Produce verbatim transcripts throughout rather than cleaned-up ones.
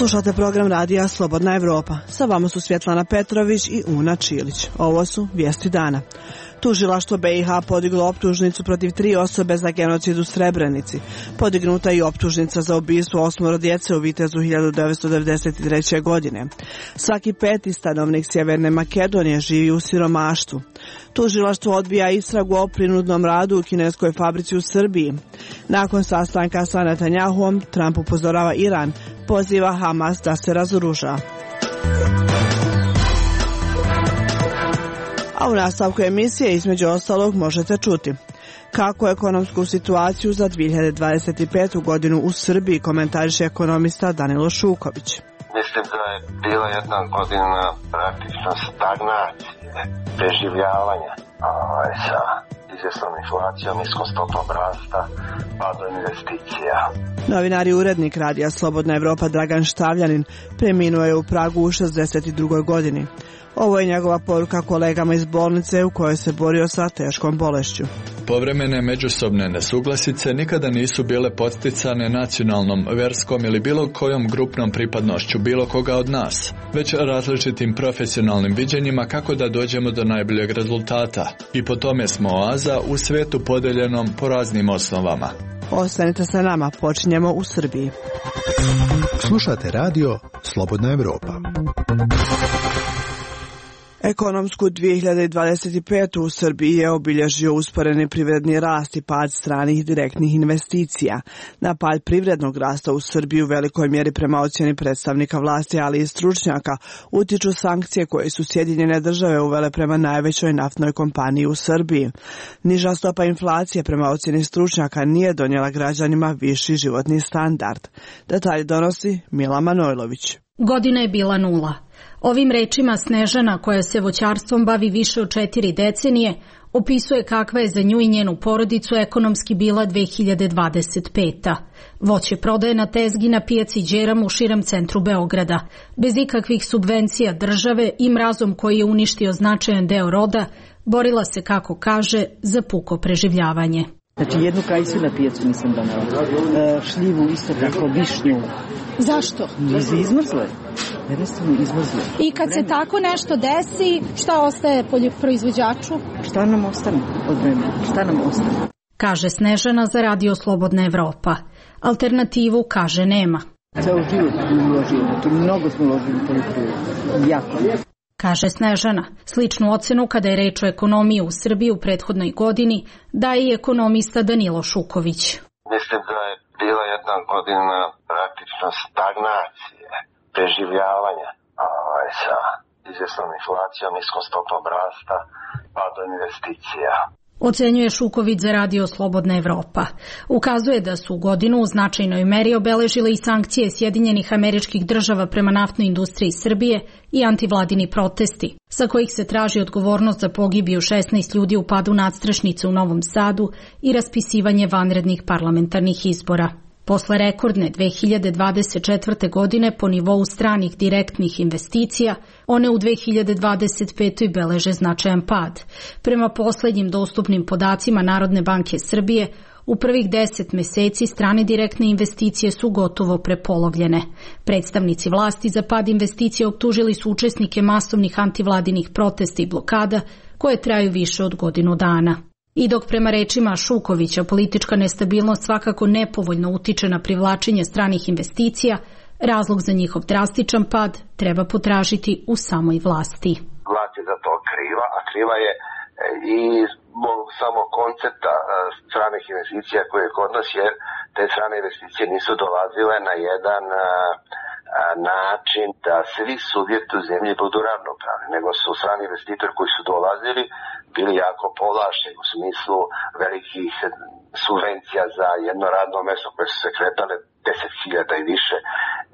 Slušate program radija Slobodna Evropa. Sa vama su Svjetlana Petrović i Una Čilić. Ovo su vijesti dana. Tužilaštvo B i H podiglo optužnicu protiv tri osobe za genocid u Srebrenici. Podignuta je i optužnica za ubistvo osmoro djece u Vitezu hiljadu devetsto devedeset treće. godine. Svaki peti stanovnik Sjeverne Makedonije živi u siromaštvu. Tužilaštvo odbija istragu o prinudnom radu u kineskoj fabrici u Srbiji. Nakon sastanka sa Netanjahuom, Trump upozorava Iran, poziva Hamas da se razoruža. A u nastavku emisije između ostalog možete čuti kako ekonomsku situaciju za dvije hiljade dvadeset petu. godinu u Srbiji komentariše ekonomista Danilo Šuković. Mislim da je bila jedna godina praktično stagnacije, preživljavanja ovaj, sa izvjesnom inflacijom, niskom stopom rasta, padom investicija. Novinar i urednik radija Slobodna Evropa Dragan Štavljanin preminuo je u Pragu u šezdeset drugoj. godini. Ovo je njegova poruka kolegama iz bolnice u kojoj se borio sa teškom bolešću. Povremene međusobne nesuglasice nikada nisu bile podsticane nacionalnom, verskom ili bilo kojom grupnom pripadnošću bilo koga od nas, već različitim profesionalnim viđenjima kako da dođemo do najboljeg rezultata. I po tome smo oaza u svijetu podeljenom po raznim osnovama. Ostanite sa nama, počinjemo u Srbiji. Slušate radio Slobodna Evropa. Ekonomsku dvije hiljade dvadeset petu. u Srbiji je obilježio usporeni privredni rast i pad stranih direktnih investicija. Na pad privrednog rasta u Srbiji u velikoj mjeri prema ocjeni predstavnika vlasti, ali i stručnjaka, utiču sankcije koje su Sjedinjene države uvele prema najvećoj naftnoj kompaniji u Srbiji. Niža stopa inflacije prema ocjeni stručnjaka nije donijela građanima viši životni standard. Detalje donosi Mila Manojlović. Godina je bila nula. Ovim rečima Snežana, koja se voćarstvom bavi više od četiri decenije, opisuje kakva je za nju i njenu porodicu ekonomski bila dvije hiljade dvadeset peta. Voće prodaje na tezgi na pijaci Đeram u širem centru Beograda, bez ikakvih subvencija države i mrazom koji je uništio značajan deo roda, borila se, kako kaže, za puko preživljavanje. Znači jednu kajsu na pijacu nisam donela, e, šljivu isto tako, višnju. Zašto? Nisu izmrzle. Jednostavno izmrzle. I kad se tako nešto desi, šta ostaje poljoproizvođaču? Šta nam ostane od vremena? Šta nam ostane? Kaže Snežana za radio Slobodna Evropa. Alternativu, kaže, nema. Ceo život smo uložili, to mnogo smo uložili u poljoprivredu. Jako. Kaže Snežana. Sličnu ocenu kada je reč o ekonomiji u Srbiji u prethodnoj godini daje i ekonomista Danilo Šuković. Mislim da je bila jedna godina praktično stagnacije, preživljavanja ovaj, sa izvjesnom inflacijom, niskom stopom rasta, padom investicija. Ocenjuje Šuković za radio Slobodna Evropa. Ukazuje da su godinu u značajnoj meri obeležile i sankcije Sjedinjenih Američkih Država prema naftnoj industriji Srbije i antivladini protesti, sa kojih se traži odgovornost za pogibiju šesnaest ljudi u padu nadstrešnice u Novom Sadu i raspisivanje vanrednih parlamentarnih izbora. Posle rekordne dvije hiljade dvadeset četvrte. godine po nivou stranih direktnih investicija, one u dvije hiljade dvadeset petoj. beleže značajan pad. Prema poslednjim dostupnim podacima Narodne banke Srbije, u prvih deset meseci strane direktne investicije su gotovo prepolovljene. Predstavnici vlasti za pad investicija optužili su učesnike masovnih antivladinih protesta i blokada koje traju više od godinu dana. I dok prema rečima Šukovića politička nestabilnost svakako nepovoljno utiče na privlačenje stranih investicija, razlog za njihov drastičan pad treba potražiti u samoj vlasti. Vlast je za to kriva, a kriva je i samo koncepta stranih investicija koje je kod nas, jer te strane investicije nisu dolazile na jedan način da svi subjekti u zemlji budu ravnopravni, nego su strani investitori koji su dolazili bili jako povlašteni u smislu velikih subvencija za jedno radno mjesto koje su se kretale deset hiljada i više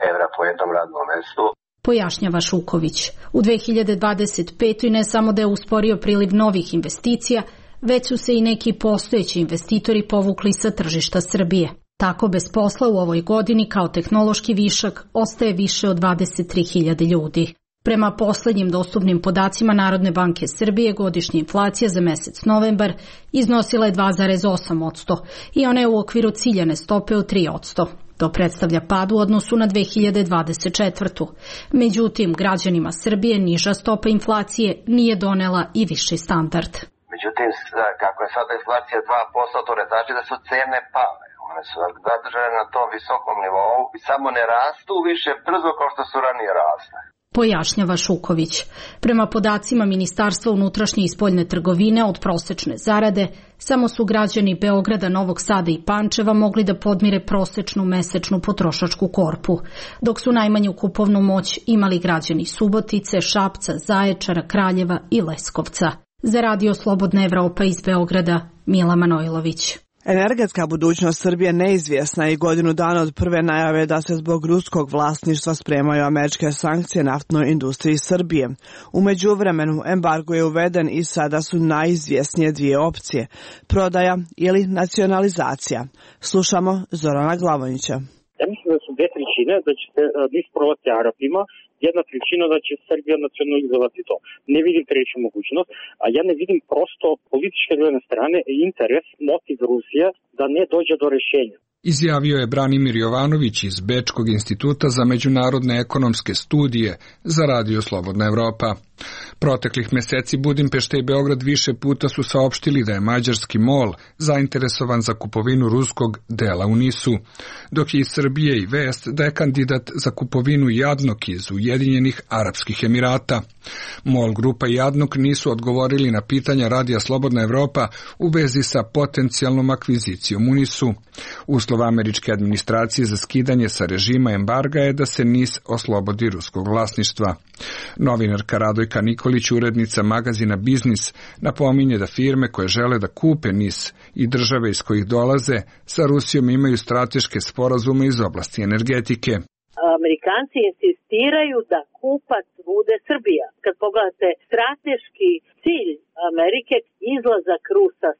evra po jednom radnom mjestu. Pojašnjava Šuković. U dvije hiljade dvadeset petoj. ne samo da je usporio priliv novih investicija, već su se i neki postojeći investitori povukli sa tržišta Srbije. Tako bez posla u ovoj godini kao tehnološki višak ostaje više od dvadeset tri hiljade ljudi. Prema poslednjim dostupnim podacima Narodne banke Srbije, godišnja inflacija za mesec novembar iznosila je dva zarez osam posto i ona je u okviru ciljane stope od tri posto. To predstavlja pad u odnosu na dve hiljade dvadeset četvrtu. Međutim, građanima Srbije niža stopa inflacije nije donela i viši standard. Međutim, kako je sada inflacija dva posto, to ne znači da su cene pale. One su zadržane na tom visokom nivou i samo ne rastu više brzo kao što su ranije rasle. Pojašnjava Šuković. Prema podacima Ministarstva unutrašnje i spoljne trgovine od prosečne zarade, samo su građani Beograda, Novog Sada i Pančeva mogli da podmire prosečnu mesečnu potrošačku korpu, dok su najmanju kupovnu moć imali građani Subotice, Šapca, Zaječara, Kraljeva i Leskovca. Za Radio Slobodna Evropa iz Beograda, Mila Manojlović. Energetska budućnost Srbije neizvjesna i godinu dana od prve najave da se zbog ruskog vlasništva spremaju američke sankcije naftnoj industriji Srbije. U međuvremenu embargo je uveden i sada su najizvjesnije dvije opcije, prodaja ili nacionalizacija. Slušamo Zorana Glavonića. Ja mislim da su dve trećine, da će se nis prodati Arapima, jedna trećina da će Srbija nacionalizovati to. Ne vidim treću mogućnost, a ja ne vidim prosto političke jedne strane interes, motiv Rusije da ne dođe do rješenja. Izjavio je Branimir Jovanović iz Bečkog instituta za međunarodne ekonomske studije za Radio Slobodna Evropa. Proteklih meseci Budimpešta i Beograd više puta su saopštili da je mađarski MOL zainteresovan za kupovinu ruskog dela u Nisu, dok je iz Srbije i vest da je kandidat za kupovinu Jadnok iz Ujedinjenih Arapskih Emirata. MOL grupa i Jadnok nisu odgovorili na pitanja Radija Slobodna Evropa u vezi sa potencijalnom akvizicijom u Nisu. Uslov američke administracije za skidanje sa režima embarga je da se Nis oslobodi ruskog vlasništva. Novinarka Radojka Nikolić, urednica magazina Biznis, napominje da firme koje žele da kupe Nis i države iz kojih dolaze sa Rusijom imaju strateške sporazume iz oblasti energetike. Amerikanci insistiraju da kupac bude Srbija. Kad pogledate strateški cilj Amerike, izlazak Rusa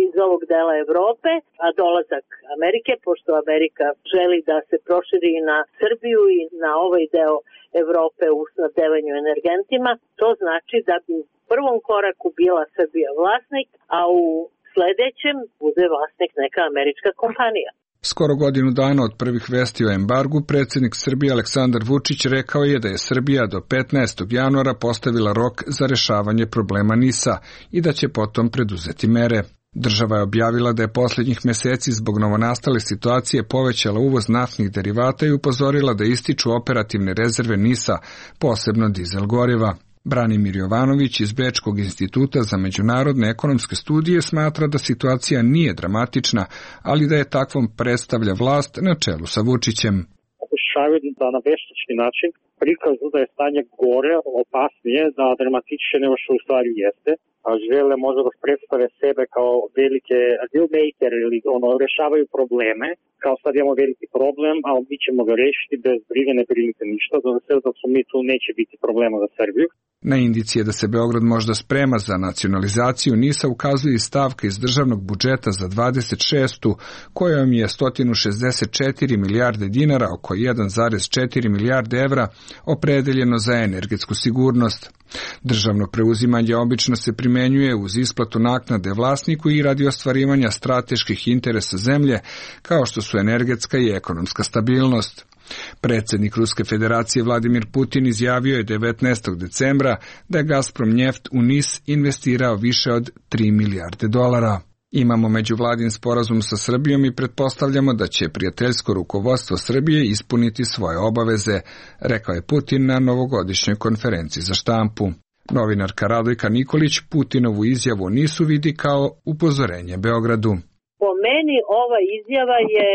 iz ovog dela Evrope, a dolazak Amerike, pošto Amerika želi da se proširi na Srbiju i na ovaj deo Evrope u snabdevanju energentima, to znači da bi u prvom koraku bila Srbija vlasnik, a u sledećem bude vlasnik neka američka kompanija. Skoro godinu dana od prvih vesti o embargu, predsjednik Srbije Aleksandar Vučić rekao je da je Srbija do petnaestog januara postavila rok za rešavanje problema Nisa i da će potom preduzeti mere. Država je objavila da je posljednjih meseci zbog novonastale situacije povećala uvoz naftnih derivata i upozorila da ističu operativne rezerve Nisa, posebno dizel goriva. Branimir Jovanović iz Bečkog instituta za međunarodne ekonomske studije smatra da situacija nije dramatična, ali da je takvom predstavlja vlast na čelu sa Vučićem. Pokušavaju da na veštački način prikažu da je stanje gore, opasnije, da dramatičnije nego što u stvari jeste. A žele možda da predstave sebe kao velike deal maker ili ono, rešavaju probleme. Kao sad imamo veliki problem, a mi ćemo ga rešiti bez brige, ne brinite ništa. Za sve dok su mi tu neće biti problema za Srbiju. Na indicije da se Beograd možda sprema za nacionalizaciju Nisa ukazuje i stavka iz državnog budžeta za dvadeset šestu kojom je sto šezdeset četiri milijarde dinara, oko jedan zarez četiri milijarde evra, opredeljeno za energetsku sigurnost. Državno preuzimanje obično se primenjuje uz isplatu naknade vlasniku i radi ostvarivanja strateških interesa zemlje, kao što su energetska i ekonomska stabilnost. Predsjednik Ruske federacije Vladimir Putin izjavio je devetnaestog decembra da je Gazprom Njeft u Nis investirao više od tri milijarde dolara. Imamo međuvladin sporazum sa Srbijom i pretpostavljamo da će prijateljsko rukovodstvo Srbije ispuniti svoje obaveze, rekao je Putin na novogodišnjoj konferenciji za štampu. Novinarka Radojka Nikolić Putinovu izjavu nisu vidi kao upozorenje Beogradu. Po meni ova izjava je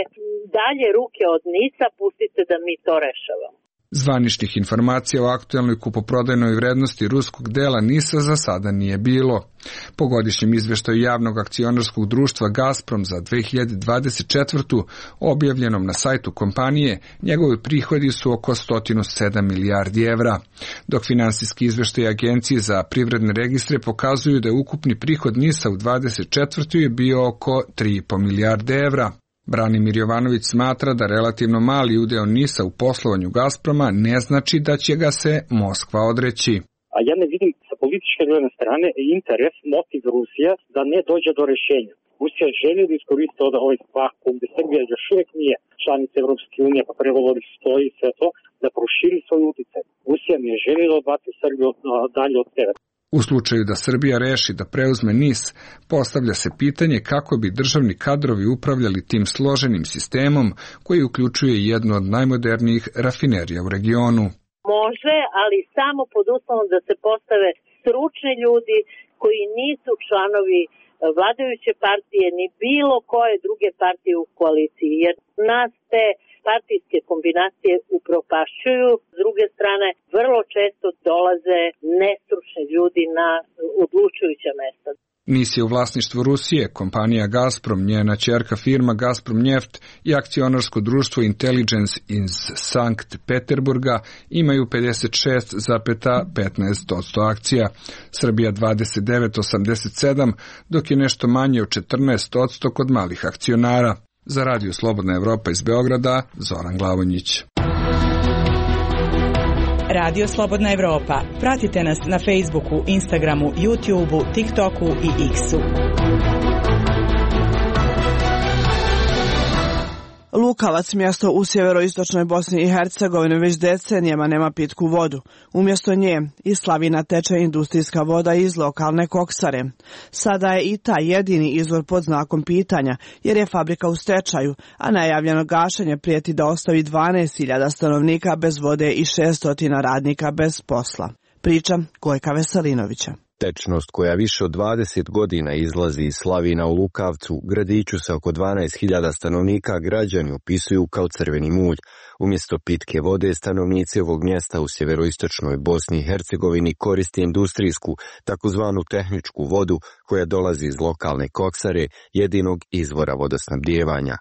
dalje ruke od Nisa, pustite da mi to rešavamo. Zvaničnih informacija o aktuelnoj kupoprodajnoj vrednosti ruskog dela Nisa za sada nije bilo. Po godišnjem izveštaju javnog akcionarskog društva Gazprom za dve hiljade dvadeset četvrtu. objavljenom na sajtu kompanije, njegovi prihodi su oko sto sedam milijardi evra, dok finansijski izveštaj Agencije za privredne registre pokazuju da je ukupni prihod Nisa u dvadeset četvrtoj je bio oko tri i po milijarde evra. Branimir Jovanović smatra da relativno mali udeo Nisa u poslovanju Gazproma ne znači da će ga se Moskva odreći. A ja ne vidim sa političke jedne strane interes, motiv Rusije da ne dođe do rješenja. Rusija želi da iskoristi ovaj vakuum gde Srbija još uvek nije članica Evropske unije, pa pregovori stoji sve to, da proširi svoj uticaj. Rusija ne želi da odbaci Srbiju dalje od severa. U slučaju da Srbija reši da preuzme N I S, postavlja se pitanje kako bi državni kadrovi upravljali tim složenim sistemom koji uključuje jednu od najmodernijih rafinerija u regionu. Može, ali samo pod uslovom da se postave stručni ljudi koji nisu članovi vladajuće partije ni bilo koje druge partije u koaliciji, jer nas te partijske kombinacije upropašćuju. S druge strane, vrlo često dolaze nestručni ljudi na odlučujuća mesta. N I S je u vlasništvu Rusije, kompanija Gazprom, njena ćerka firma Gazprom Njeft i akcionarsko društvo Intelligence iz Sankt Peterburga imaju pedeset šest zarez petnaest posto akcija, Srbija dvadeset devet zarez osamdeset sedam, dok je nešto manje od četrnaest posto kod malih akcionara. Za Radio Slobodna Evropa iz Beograda, Zoran Glavonjić. Radio Slobodna Evropa. Pratite nas na Facebooku, Instagramu, YouTubeu, TikToku i X-u. Lukavac, mjesto u sjeveroistočnoj Bosni i Hercegovini, već decenijama nema pitku vodu. Umjesto nje iz slavina teče industrijska voda iz lokalne koksare. Sada je i taj jedini izvor pod znakom pitanja, jer je fabrika u stečaju, a najavljeno gašenje prijeti da ostavi dvanaest hiljada stanovnika bez vode i šesto radnika bez posla. Priča Gojka Veselinovića. Tečnost koja više od dvadeset godina izlazi iz slavina u Lukavcu, gradiću sa oko dvanaest hiljada stanovnika, građani opisuju kao crveni mulj. Umjesto pitke vode, stanovnici ovog mjesta u sjeveroistočnoj Bosni i Hercegovini koriste industrijsku, takozvanu tehničku vodu koja dolazi iz lokalne koksare, jedinog izvora vodosnabdijevanja.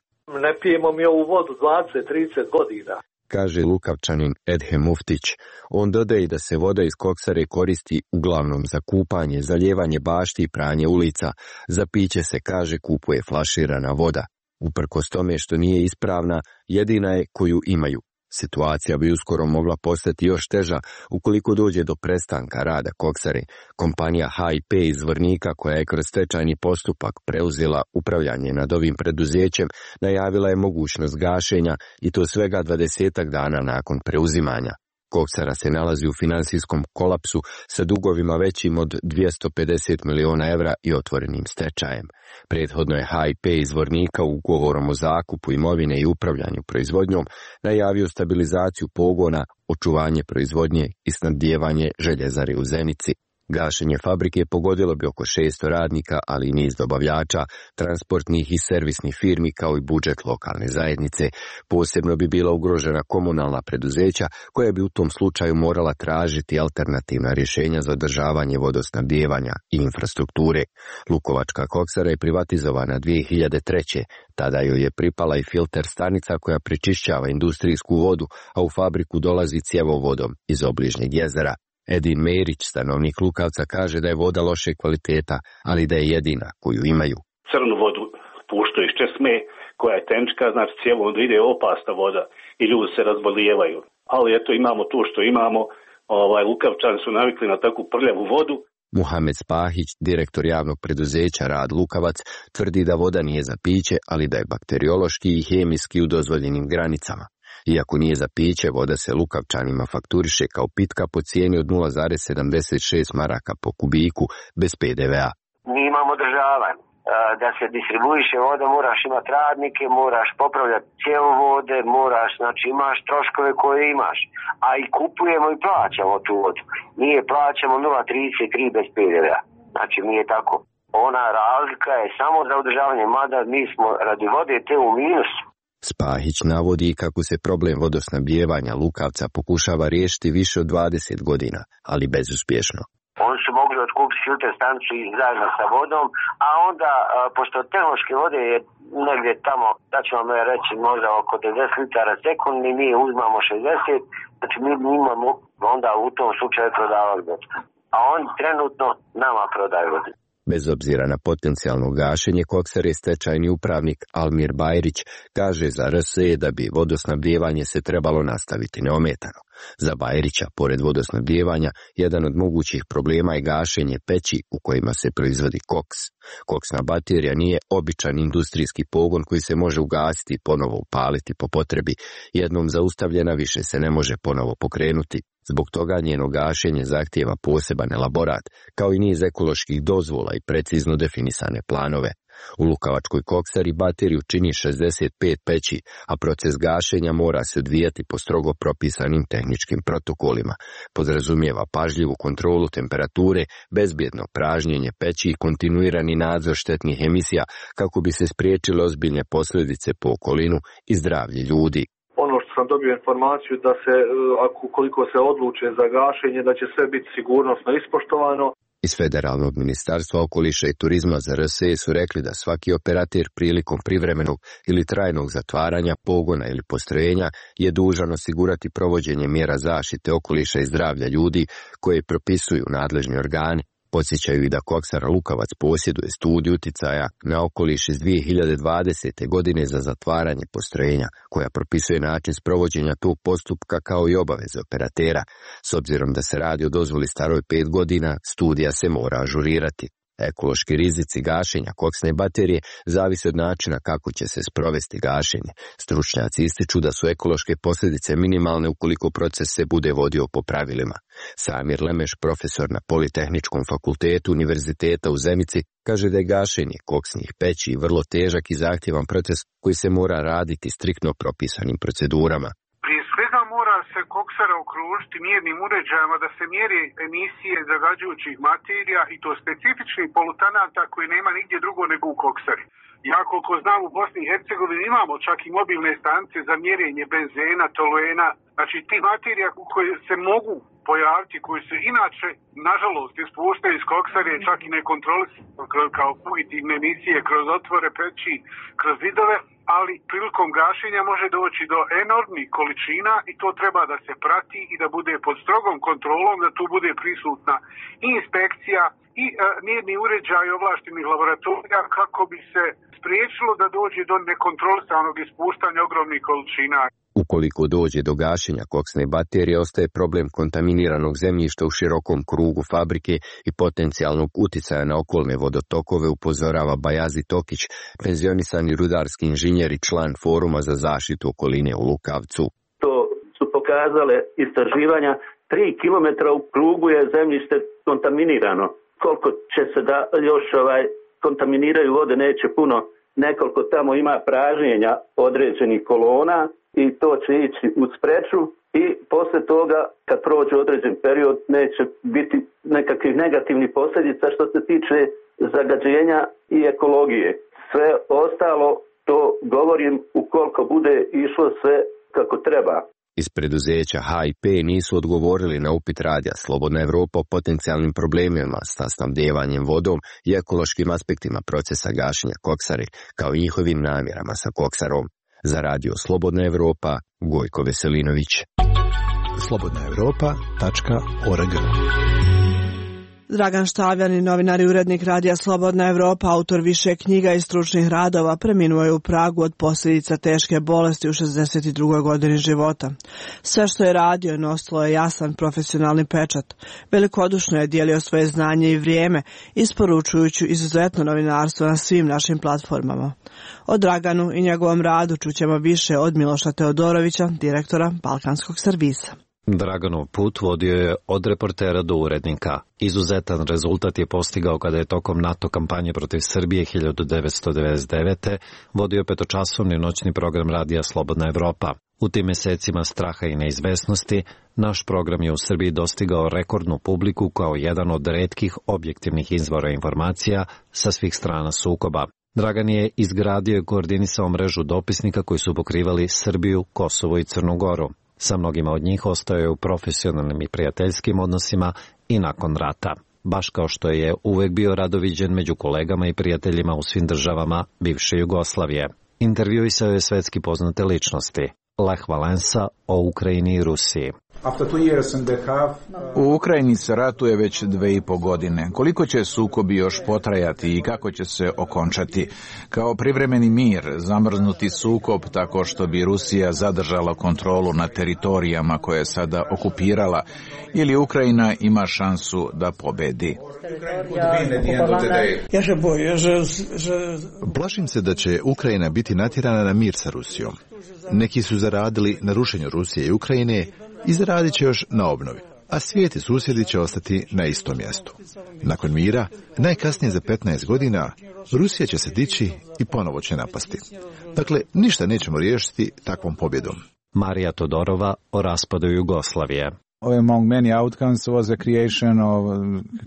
Ne pijemo mi ovu vodu dvadeset trideset godina. Kaže Lukavčanin Edhem Muftić. On dodaje da se voda iz koksare koristi uglavnom za kupanje, zalijevanje bašti i pranje ulica. Za piće se, kaže, kupuje flaširana voda. Uprkos tome što nije ispravna, jedina je koju imaju. Situacija bi uskoro mogla postati još teža ukoliko dođe do prestanka rada koksare. Kompanija H I P iz Zvornika, koja je kroz stečajni postupak preuzela upravljanje nad ovim preduzećem, najavila je mogućnost gašenja i to svega dvadesetak dana nakon preuzimanja. Koksara se nalazi u finansijskom kolapsu sa dugovima većim od dvjesto pedeset miliona evra i otvorenim stečajem. Prethodno je H I P iz Zvornika ugovorom o zakupu imovine i upravljanju proizvodnjom najavio stabilizaciju pogona, očuvanje proizvodnje i snabdijevanje željezare u Zenici. Gašenje fabrike pogodilo bi oko šesto radnika, ali i niz dobavljača, transportnih i servisnih firmi kao i budžet lokalne zajednice. Posebno bi bila ugrožena komunalna preduzeća koja bi u tom slučaju morala tražiti alternativna rješenja za održavanje vodosnabdijevanja i infrastrukture. Lukovačka koksara je privatizovana dvije hiljade treće. Tada joj je pripala i filter stanica koja prečišćava industrijsku vodu, a u fabriku dolazi cjevovodom iz obližnjeg jezera. Edin Merić, stanovnik Lukavca, kaže da je voda loše kvaliteta, ali da je jedina koju imaju. Crnu vodu puštaju iz česme, koja je tenčka, znači cijevo onda ide opasna voda i ljudi se razbolijevaju. Ali eto, imamo to što imamo, ovaj, Lukavčani su navikli na takvu prljavu vodu. Muhamed Spahić, direktor javnog preduzeća Rad Lukavac, tvrdi da voda nije za piće, ali da je bakteriološki i hemijski u dozvoljenim granicama. Iako nije za piće, voda se Lukavčanima fakturiše kao pitka po cijeni od nula zarez sedamdeset šest maraka po kubiku bez P D V-a. Mi imamo održavanje. Da se distribuiše voda, moraš imati radnike, moraš popravljati cjevovode, moraš, znači imaš troškove koje imaš. A i kupujemo i plaćamo tu vodu. Mi je plaćamo nula zarez trideset tri bez P D V-a. Znači mi je tako. Ona razlika je samo za održavanje, mada mi smo radi vode te u minusu. Spahić navodi kako se problem vodosnabdijevanja Lukavca pokušava riješiti više od dvadeset godina, ali bezuspješno. Oni su mogli otkupiti filter stanicu zajedno sa vodom, a onda, pošto tehnološke vode je negdje tamo, da ću vam reći, možda oko devedeset litara sekundi, mi uzmamo šezdeset, znači mi imamo onda u tom slučaju prodavali vodu. A oni trenutno nama prodaju vodu. Bez obzira na potencijalno gašenje koksare, stečajni upravnik Almir Bajrić kaže za R S E da bi vodosnabdijevanje se trebalo nastaviti neometano. Za Bajrića, pored vodosnabdijevanja, jedan od mogućih problema je gašenje peći u kojima se proizvodi koks. Koksna baterija nije običan industrijski pogon koji se može ugasiti i ponovo upaliti po potrebi. Jednom zaustavljena više se ne može ponovo pokrenuti. Zbog toga njeno gašenje zahtijeva poseban elaborat, kao i niz ekoloških dozvola i precizno definisane planove. U Lukavačkoj koksari bateriju čini šezdeset pet peći, a proces gašenja mora se odvijati po strogo propisanim tehničkim protokolima. Podrazumijeva pažljivu kontrolu temperature, bezbjedno pražnjenje peći i kontinuirani nadzor štetnih emisija kako bi se spriječile ozbiljne posljedice po okolinu i zdravlje ljudi. Ono što sam dobio informaciju da se, ako koliko se odluče za gašenje, da će sve biti sigurnosno ispoštovano. Iz Federalnog ministarstva okoliša i turizma za R S E su rekli da svaki operater prilikom privremenog ili trajnog zatvaranja pogona ili postrojenja je dužan osigurati provođenje mjera zaštite okoliša i zdravlja ljudi koje propisuju nadležni organi. Podsjećaju i da koksara Lukavac posjeduje studiju uticaja na okoliš iz dvije hiljade dvadesete. godine za zatvaranje postrojenja, koja propisuje način sprovođenja tog postupka kao i obaveze operatera. S obzirom da se radi o dozvoli staroj pet godina, studija se mora ažurirati. Ekološki rizici gašenja koksne baterije zavise od načina kako će se sprovesti gašenje. Stručnjaci ističu da su ekološke posljedice minimalne ukoliko proces se bude vodio po pravilima. Samir Lemeš, profesor na Politehničkom fakultetu Univerziteta u Zenici, kaže da je gašenje koksnih peći vrlo težak i zahtjevan proces koji se mora raditi striktno propisanim procedurama. Mora se koksara okružiti mjernim uređajima da se mjeri emisije zagađujućih materija i to specifičnih polutanata koji nema nigdje drugo nego u koksari. Ja koliko znam u Bosni i Hercegovini imamo čak i mobilne stanice za mjerenje benzena, toluena, znači ti materija koje se mogu pojaviti, koji se inače, nažalost, ispuštaju iz koksare čak i nekontrolisano kao fugitivne emisije kroz otvore peći, kroz zidove, ali prilikom gašenja može doći do enormnih količina i to treba da se prati i da bude pod strogom kontrolom, da tu bude prisutna i inspekcija i e, mjerni uređaj ovlaštenih laboratorija kako bi se spriječilo da dođe do nekontrolisanog ispuštanja ogromnih količina. Ukoliko dođe do gašenja koksne baterije, ostaje problem kontaminiranog zemljišta u širokom krugu fabrike i potencijalnog uticaja na okolne vodotokove, upozorava Bajazi Tokić, penzionisani rudarski inženjer i član Foruma za zaštitu okoline u Lukavcu. To su pokazale istraživanja, tri kilometra u krugu je zemljište kontaminirano. Koliko će se da još ovaj, kontaminiraju vode, neće puno. Nekoliko tamo ima pražnjenja određenih kolona i to će ići u spreču i poslije toga kad prođe određen period neće biti nekakvih negativnih posljedica što se tiče zagađenja i ekologije. Sve ostalo to govorim ukoliko bude išlo sve kako treba. Iz preduzeća H I P nisu odgovorili na upit radija Slobodna Evropa o potencijalnim problemima sa snabdevanjem vodom i ekološkim aspektima procesa gašenja koksare, kao i njihovim namjerama sa koksarom. Za radio Slobodna Evropa, Gojko Veselinović. slobodna evropa tačka org. Dragan Štavljan, novinar i urednik radija Slobodna Evropa, autor više knjiga i stručnih radova, preminuo je u Pragu od posljedica teške bolesti u šezdeset drugoj godini života. Sve što je radio nosilo je jasan profesionalni pečat. Velikodušno je dijelio svoje znanje i vrijeme, isporučujući izuzetno novinarstvo na svim našim platformama. O Draganu i njegovom radu čućemo više od Miloša Teodorovića, direktora Balkanskog servisa. Draganov put vodio je od reportera do urednika. Izuzetan rezultat je postigao kada je tokom NATO kampanje protiv Srbije hiljadu devetsto devedeset devete. vodio petočasovni noćni program radija Slobodna Evropa. U tim mjesecima straha i neizvesnosti, naš program je u Srbiji dostigao rekordnu publiku kao jedan od retkih objektivnih izvora informacija sa svih strana sukoba. Dragan je izgradio i koordinisao mrežu dopisnika koji su pokrivali Srbiju, Kosovo i Crnu Goru. Sa mnogima od njih ostao je u profesionalnim i prijateljskim odnosima i nakon rata, baš kao što je uvek bio radoviđen među kolegama i prijateljima u svim državama bivše Jugoslavije. Intervjuisao je svetski poznate ličnosti, Lech Valensa o Ukrajini i Rusiji. U Ukrajini se ratuje već dve i po godine. Koliko će sukobi još potrajati i kako će se okončati? Kao privremeni mir, zamrznuti sukob tako što bi Rusija zadržala kontrolu na teritorijama koje je sada okupirala, ili Ukrajina ima šansu da pobedi? Plašim se da će Ukrajina biti natjerana na mir sa Rusijom. Neki su zaradili na rušenju Rusije i Ukrajine i zaradit će još na obnovi, a svijet i susjedi će ostati na istom mjestu. Nakon mira, najkasnije za petnaest godina, Rusija će se dići i ponovo će napasti. Dakle, ništa nećemo riješiti takvom pobjedom. Marija Todorova o raspadu Jugoslavije. Among many outcomes was the creation of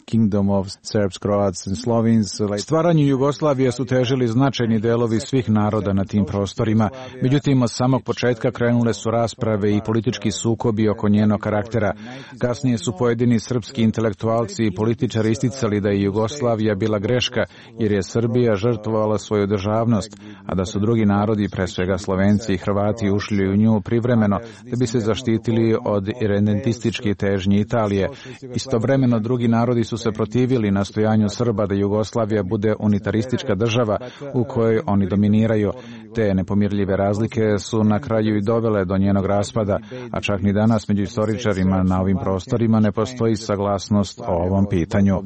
kingdom of Serbs, Croats and Slovenes. Stvaranju Jugoslavije su težili značajni delovi svih naroda na tim prostorima. Međutim, od samog početka krenule su rasprave i politički sukobi oko njenog karaktera. Kasnije su pojedini srpski intelektualci i političari isticali da je Jugoslavija bila greška, jer je Srbija žrtvovala svoju državnost, a da su drugi narodi, pre svega Slovenci i Hrvati, ušli u nju privremeno da bi se zaštitili od irredentističkih težnji Italije. Istovremeno drugi narodi su se protivili nastojanju Srba da Jugoslavija bude unitaristička država u kojoj oni dominiraju. Te nepomirljive razlike su na kraju i dovele do njenog raspada, a čak ni danas među istoričarima na ovim prostorima ne postoji saglasnost o ovom pitanju.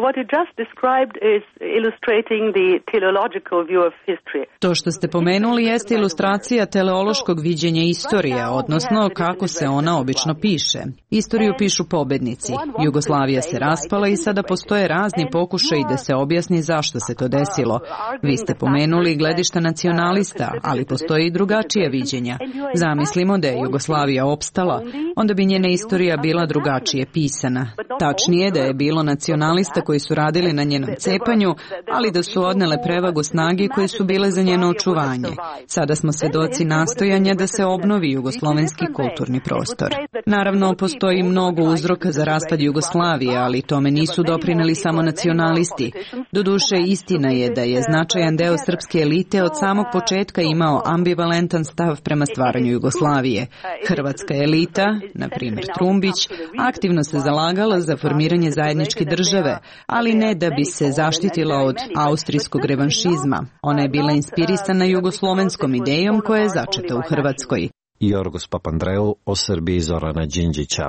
What you just described is illustrating the teleological view of history. To što ste pomenuli jeste ilustracija teleološkog viđenja istorije, odnosno kako se ona obično piše. Istoriju pišu pobednici. Jugoslavija se raspala i sada postoje razni pokušaji da se objasni zašto se to desilo. Vi ste pomenuli gledišta nacionalista, ali postoje i drugačija viđenja. Zamislimo da je Jugoslavija opstala, onda bi njena istorija bila drugačije pisana. Tačnije da je bilo nacionalista koji su radili na njenom cepanju, ali da su odnele prevagu snage koje su bile za njeno očuvanje. Sada smo svedoci nastojanja da se obnovi jugoslovenski kulturni prostor. Naravno, postoji mnogo uzroka za raspad Jugoslavije, ali tome nisu doprineli samo nacionalisti. Doduše, istina je da je značajan deo srpske elite od samog početka imao ambivalentan stav prema stvaranju Jugoslavije. Hrvatska elita, na primjer Trumbić, aktivno se zalagala za formiranje zajedničke države, ali ne da bi se zaštitila od austrijskog revanšizma. Ona je bila inspirisana jugoslovenskom idejom koja je začeta u Hrvatskoj. Jorgos Papandreou o Srbiji Zorana Đinđića.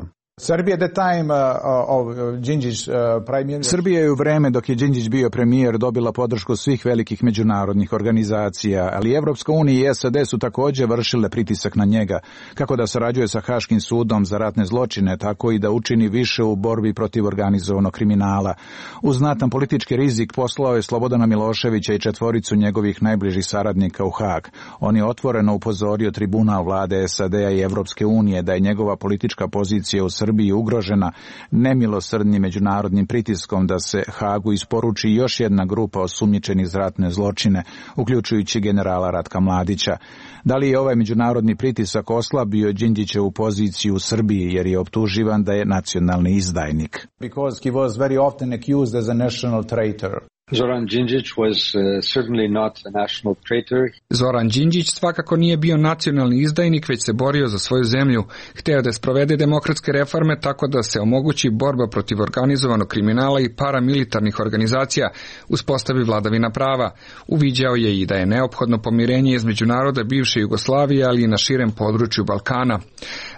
Srbija je u vreme dok je Đinđić bio premijer dobila podršku svih velikih međunarodnih organizacija, ali Evropska unija i S A D su također vršile pritisak na njega, kako da sarađuje sa Haškim sudom za ratne zločine, tako i da učini više u borbi protiv organizovanog kriminala. Uz znatan politički rizik poslao je Slobodana Miloševića i četvoricu njegovih najbližih saradnika u Hag. On je otvoreno upozorio tribunal vlade S A D-a i Evropske unije da je njegova politička pozicija u Srbiji Srbiji ugrožena nemilosrdnim međunarodnim pritiskom da se Hagu isporuči još jedna grupa osumnjičenih za ratne zločine, uključujući generala Ratka Mladića. Da li je ovaj međunarodni pritisak oslabio Đinđićevu poziciju u Srbiji jer je optuživan da je nacionalni izdajnik? Because he was very often accused as a national traitor. Zoran Đinđić was uh, certainly not a national traitor. Zoran Đinđić svakako nije bio nacionalni izdajnik, već se borio za svoju zemlju. Hteo da sprovede demokratske reforme tako da se omogući borba protiv organizovanog kriminala i paramilitarnih organizacija, uspostavi vladavina prava. Uviđao je i da je neophodno pomirenje između naroda bivše Jugoslavije, ali i na širem području Balkana.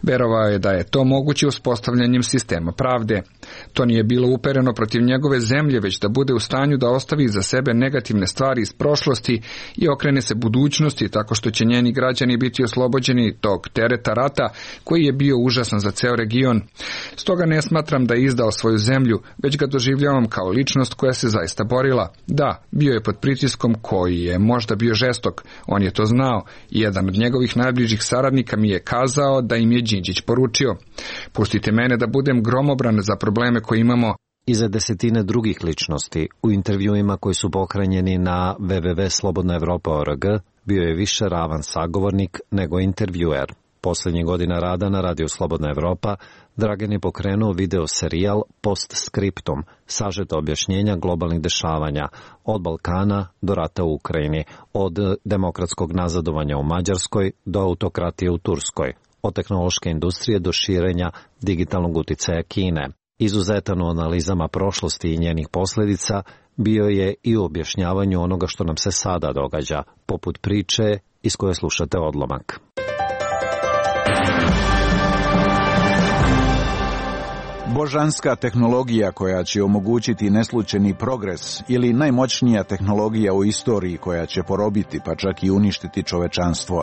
Verovao je da je to moguće uspostavljanjem sistema pravde. To nije bilo upereno protiv njegove zemlje, već da bude u stanju da ostavi za sebe negativne stvari iz prošlosti i okrene se budućnosti tako što će njeni građani biti oslobođeni tog tereta rata koji je bio užasan za ceo region. Stoga ne smatram da je izdao svoju zemlju, već ga doživljavam kao ličnost koja se zaista borila. Da, bio je pod pritiskom koji je možda bio žestok, on je to znao i jedan od njegovih najbližih saradnika mi je kazao da im je Đinđić poručio: pustite mene da budem gromobran za probleme koje imamo. Iza desetine drugih ličnosti u intervjuima koji su pohranjeni na w w w tačka slobodna evropa tačka org bio je više ravan sagovornik nego intervjuer. Poslednjih godina rada na radiju Slobodna Evropa Dragan je pokrenuo video serijal Postscriptum, sažeta objašnjenja globalnih dešavanja od Balkana do rata u Ukrajini, od demokratskog nazadovanja u Mađarskoj do autokratije u Turskoj, od tehnološke industrije do širenja digitalnog uticaja Kine. Izuzetan u analizama prošlosti i njenih posljedica bio je i u objašnjavanju onoga što nam se sada događa, poput priče iz koje slušate odlomak. Božanska tehnologija koja će omogućiti neslučajni progres ili najmoćnija tehnologija u istoriji koja će porobiti pa čak i uništiti čovečanstvo.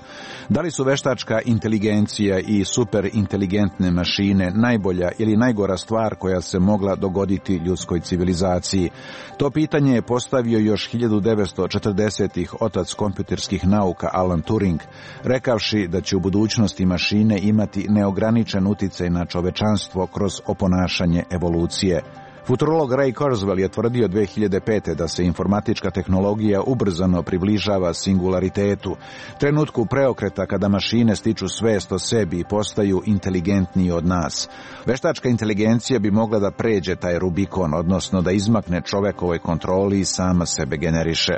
Da li su veštačka inteligencija i superinteligentne mašine najbolja ili najgora stvar koja se mogla dogoditi ljudskoj civilizaciji? To pitanje je postavio još hiljadu devetsto četrdesetih otac kompjuterskih nauka Alan Turing, rekavši da će u budućnosti mašine imati neograničen uticaj na čovečanstvo kroz oponašanje evolucije. Futurolog Ray Kurzweil je tvrdio dve hiljade pete da se informatička tehnologija ubrzano približava singularitetu, trenutku preokreta kada mašine stiču svest o sebi i postaju inteligentniji od nas. Veštačka inteligencija bi mogla da pređe taj Rubikon, odnosno da izmakne čovekovoj kontroli i sama sebe generiše.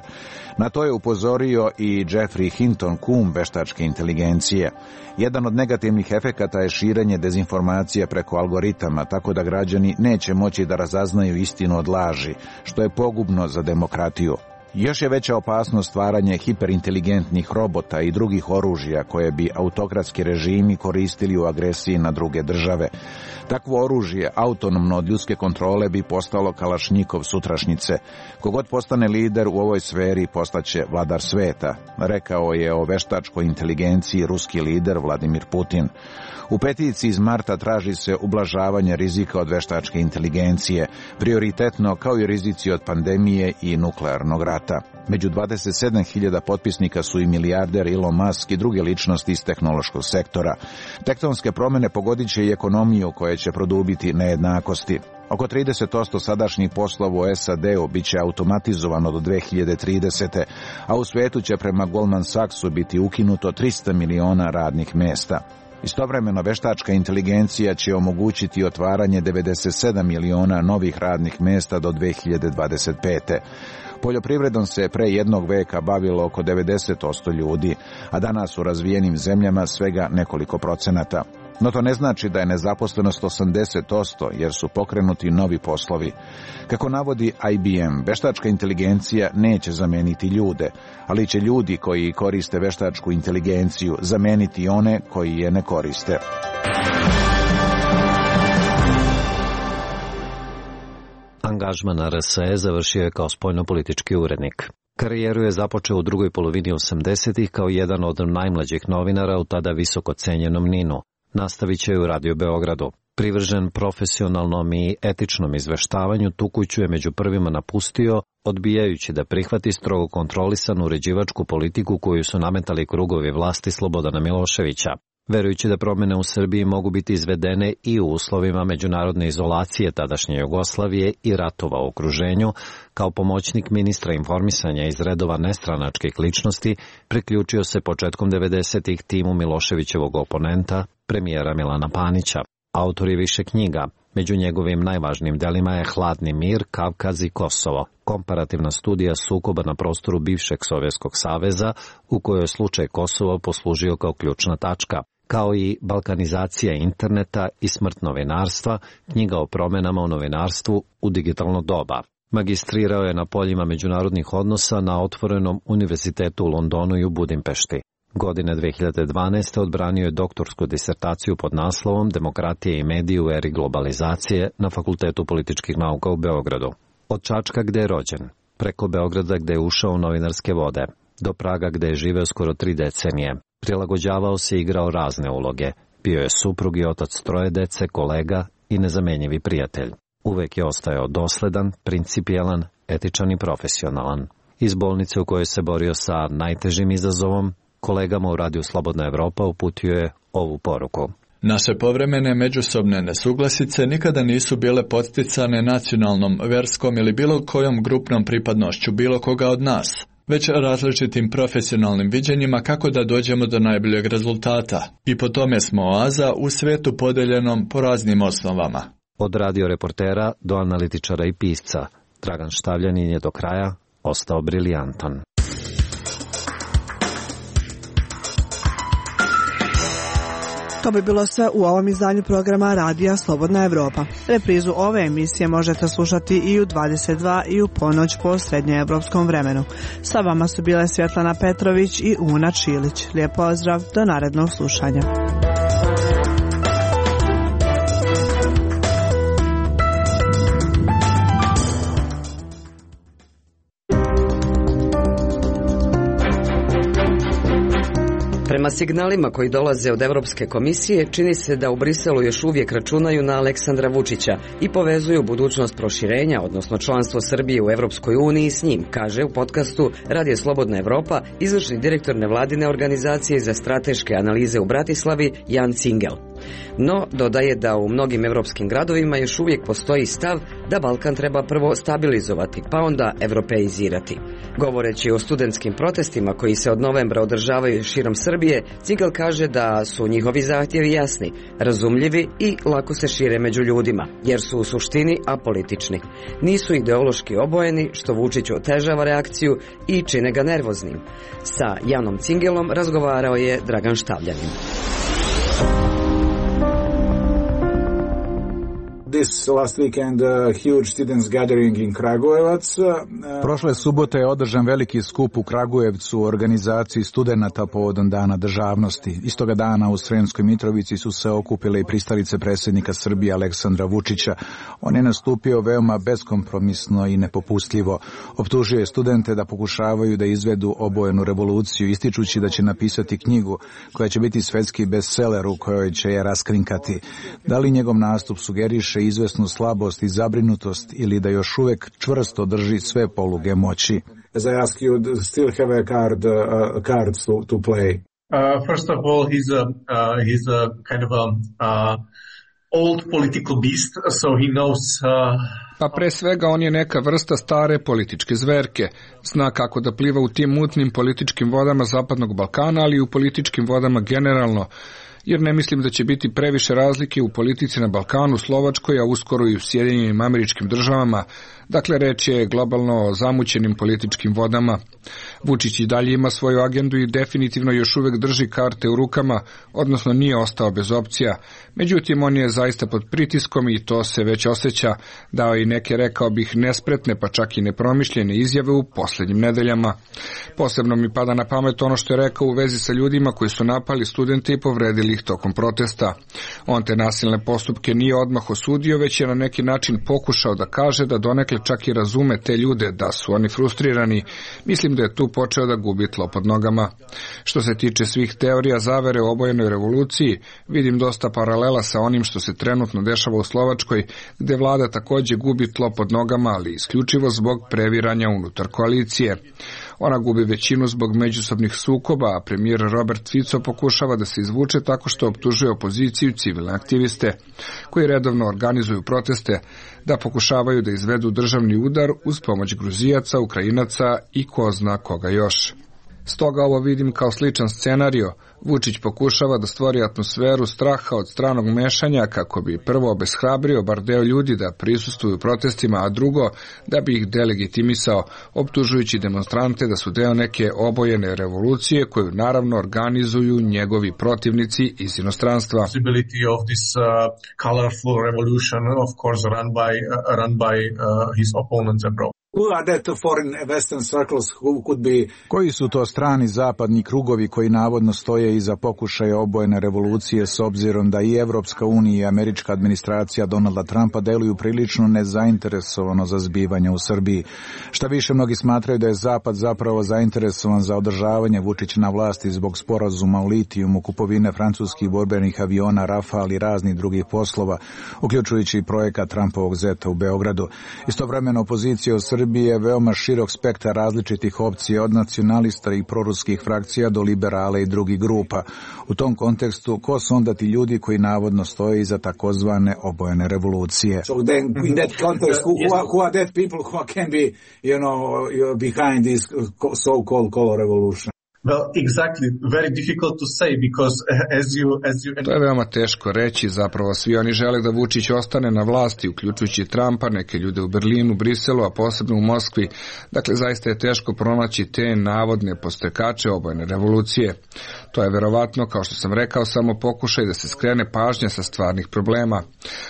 Na to je upozorio i Jeffrey Hinton, kum veštačke inteligencije. Jedan od negativnih efekata je širenje dezinformacija preko algoritama, tako da građani neće moći da razaznaju istinu od laži, što je pogubno za demokratiju. Još je veća opasnost stvaranje hiperinteligentnih robota i drugih oružja koje bi autokratski režimi koristili u agresiji na druge države. Takvo oružje, autonomno od ljudske kontrole, bi postalo kalašnjikov sutrašnjice. Kogod postane lider u ovoj sferi postaće vladar sveta, rekao je o veštačkoj inteligenciji ruski lider Vladimir Putin. U peticiji iz marta traži se ublažavanje rizika od veštačke inteligencije, prioritetno kao i rizici od pandemije i nuklearnog rata. Među dvadeset sedam hiljada potpisnika su i milijarder Elon Musk i druge ličnosti iz tehnološkog sektora. Tektonske promjene pogodit će i ekonomiju koja će produbiti nejednakosti. Oko trideset posto sadašnjih poslova u S A D-u bit će automatizovano do dve hiljade tridesete. a u svijetu će prema Goldman Sachsu biti ukinuto trista miliona radnih mjesta. Istovremeno, veštačka inteligencija će omogućiti otvaranje devedeset sedam miliona novih radnih mjesta do dve hiljade dvadeset pete. Poljoprivredom se pre jednog veka bavilo oko devedeset posto ljudi, a danas u razvijenim zemljama svega nekoliko procenata. No to ne znači da je nezaposlenost osamdeset posto, jer su pokrenuti novi poslovi. Kako navodi I B M, veštačka inteligencija neće zameniti ljude, ali će ljudi koji koriste veštačku inteligenciju zameniti one koji je ne koriste. Angažman na R S E završio je kao spoljnopolitički urednik. Karijeru je započeo u drugoj polovini osamdesetih kao jedan od najmlađih novinara u tada visoko cenjenom Ninu. Nastavit će u Radio Beogradu. Privržen profesionalnom i etičnom izveštavanju, tu kuću je među prvima napustio, odbijajući da prihvati strogo kontrolisanu uređivačku politiku koju su nametali krugovi vlasti Slobodana Miloševića. Verujući da promjene u Srbiji mogu biti izvedene i u uslovima međunarodne izolacije tadašnje Jugoslavije i ratova u okruženju, kao pomoćnik ministra informisanja iz redova nestranačkih ličnosti, priključio se početkom devedesetih timu Miloševićevog oponenta, premijera Milana Panića. Autor je više knjiga. Među njegovim najvažnijim delima je Hladni mir, Kavkaz i Kosovo, komparativna studija sukoba na prostoru bivšeg Sovjetskog saveza, u kojoj je slučaj Kosova poslužio kao ključna tačka, kao i Balkanizacija interneta i smrt novinarstva, knjiga o promjenama u novinarstvu u digitalno doba. Magistrirao je na poljima međunarodnih odnosa na Otvorenom univerzitetu u Londonu i u Budimpešti. Godine dve hiljade dvanaeste. odbranio je doktorsku disertaciju pod naslovom Demokratija i mediji u eri globalizacije na Fakultetu političkih nauka u Beogradu. Od Čačka gde je rođen, preko Beograda gde je ušao u novinarske vode, do Praga gde je živeo skoro tri decenije. Prilagođavao se i igrao razne uloge. Bio je suprug i otac troje dece, kolega i nezamenjivi prijatelj. Uvek je ostajao dosledan, principijelan, etičan i profesionalan. Iz bolnice u kojoj se borio sa najtežim izazovom, kolegama u Radiju Slobodna Evropa uputio je ovu poruku. Naše povremene međusobne nesuglasice nikada nisu bile podsticane nacionalnom, verskom ili bilo kojom grupnom pripadnošću bilo koga od nas, već različitim profesionalnim viđenjima kako da dođemo do najboljeg rezultata. I po tome smo oaza u svetu podeljenom po raznim osnovama. Od radio reportera do analitičara i pisca, Dragan Štavljanin je do kraja ostao briljantan. To bi bilo sve u ovom izdanju programa Radija Slobodna Evropa. Reprizu ove emisije možete slušati i u dvadeset dva i u ponoć po srednjoevropskom vremenu. Sa vama su bile Svjetlana Petrović i Una Čilić. Lijep pozdrav, do narednog slušanja. Prema signalima koji dolaze od Evropske komisije, čini se da u Briselu još uvijek računaju na Aleksandra Vučića i povezuju budućnost proširenja, odnosno članstvo Srbije u Evropskoj uniji s njim, kaže u podcastu Radio Slobodna Evropa izvršni direktor nevladine organizacije za strateške analize u Bratislavi Jan Cingel. No, dodaje da u mnogim evropskim gradovima još uvijek postoji stav da Balkan treba prvo stabilizovati, pa onda evropeizirati. Govoreći o studentskim protestima koji se od novembra održavaju širom Srbije, Cingel kaže da su njihovi zahtjevi jasni, razumljivi i lako se šire među ljudima, jer su u suštini apolitični. Nisu ideološki obojeni, što Vučiću otežava reakciju i čine ga nervoznim. Sa Janom Cingelom razgovarao je Dragan Štavljanin. This last weekend, a huge students gathering in Kragujevac. Prošle subote je održan veliki skup u Kragujevcu u organizaciji studenata povodom Dana državnosti. Istoga dana u Sremskoj Mitrovici su se okupile i pristalice predsjednika Srbije Aleksandra Vučića. On je nastupio veoma beskompromisno i nepopustljivo. Optužio je studente da pokušavaju da izvedu obojenu revoluciju, ističući da će napisati knjigu koja će biti svetski bestseller u kojoj će je raskrinkati. Da li njegov nastup sugeriše izvesnu slabost i zabrinutost ili da još uvek čvrsto drži sve poluge moći? As I ask you, still have a card, uh, cards to, to play? Uh, first of all, he's a, uh, he's a kind of a uh, old political beast, so he knows... Uh... Pa pre svega on je neka vrsta stare političke zverke. Zna kako da pliva u tim mutnim političkim vodama Zapadnog Balkana, ali i u političkim vodama generalno. Jer ne mislim da će biti previše razlike u politici na Balkanu, Slovačkoj, a uskoro i u Sjedinjenim Američkim Državama. Dakle, reč je globalno o zamućenim političkim vodama. Vučić i dalje ima svoju agendu i definitivno još uvek drži karte u rukama, odnosno nije ostao bez opcija. Međutim, on je zaista pod pritiskom i to se već osjeća, dao i neke, rekao bih, nespretne pa čak i nepromišljene izjave u posljednjim nedeljama. Posebno mi pada na pamet ono što je rekao u vezi sa ljudima koji su napali studente i povredili ih tokom protesta. On te nasilne postupke nije odmah osudio, već je na neki način pokušao da kaže da donekle čak i razume te ljude, da su oni frustrirani. Mislim da je tu počeo da gubi tlo pod nogama. Što se tiče svih teorija zavere o obojenoj revoluciji, vidim dosta paralela sa onim što se trenutno dešava u Slovačkoj, gde vlada takođe gubi tlo pod nogama, ali isključivo zbog previranja unutar koalicije. Ona gubi većinu zbog međusobnih sukoba, a premijer Robert Fico pokušava da se izvuče tako što optužuje opoziciju, civilne aktiviste, koji redovno organizuju proteste, da pokušavaju da izvedu državni udar uz pomoć Gruzijaca, Ukrajinaca i ko zna koga još. Stoga ovo vidim kao sličan scenario. Vučić pokušava da stvori atmosferu straha od stranog mešanja kako bi prvo obeshrabrio bar deo ljudi da prisustvuju protestima, a drugo da bi ih delegitimisao, optužujući demonstrante da su deo neke obojene revolucije koju naravno organizuju njegovi protivnici iz inostranstva. Possibility of this uh, colorful revolution, of course, run by uh, run by uh, his opponents abroad. Koji su to strani zapadni krugovi koji navodno stoje iza pokušaja obojene revolucije, s obzirom da i Evropska unija i američka administracija Donalda Trumpa deluju prilično nezainteresovano za zbivanja u Srbiji? Šta više, mnogi smatraju da je Zapad zapravo zainteresovan za održavanje Vučića na vlasti zbog sporazuma o litijumu, kupovine francuskih borbenih aviona Rafale i raznih drugih poslova, uključujući i projekat Trumpovog zeta u Beogradu. Istovremeno opozicija u Srbiji je veoma širok spektar različitih opcija, od nacionalista i proruskih frakcija do liberala i drugih grupa. U tom kontekstu, ko su onda ti ljudi koji navodno stoje iza takozvane obojene revolucije? So then, in that context, who are, who are that people who can be, you know, behind this so-called color revolution? Well, exactly. Very difficult to say because as you, as you... To je veoma teško reći, zapravo svi oni žele da Vučić ostane na vlasti, uključujući Trumpa, neke ljude u Berlinu, Briselu, a posebno u Moskvi. Dakle, zaista je teško pronaći te navodne postrekače obojene revolucije. To je verovatno, kao što sam rekao, samo pokušaj da se skrene pažnja sa stvarnih problema.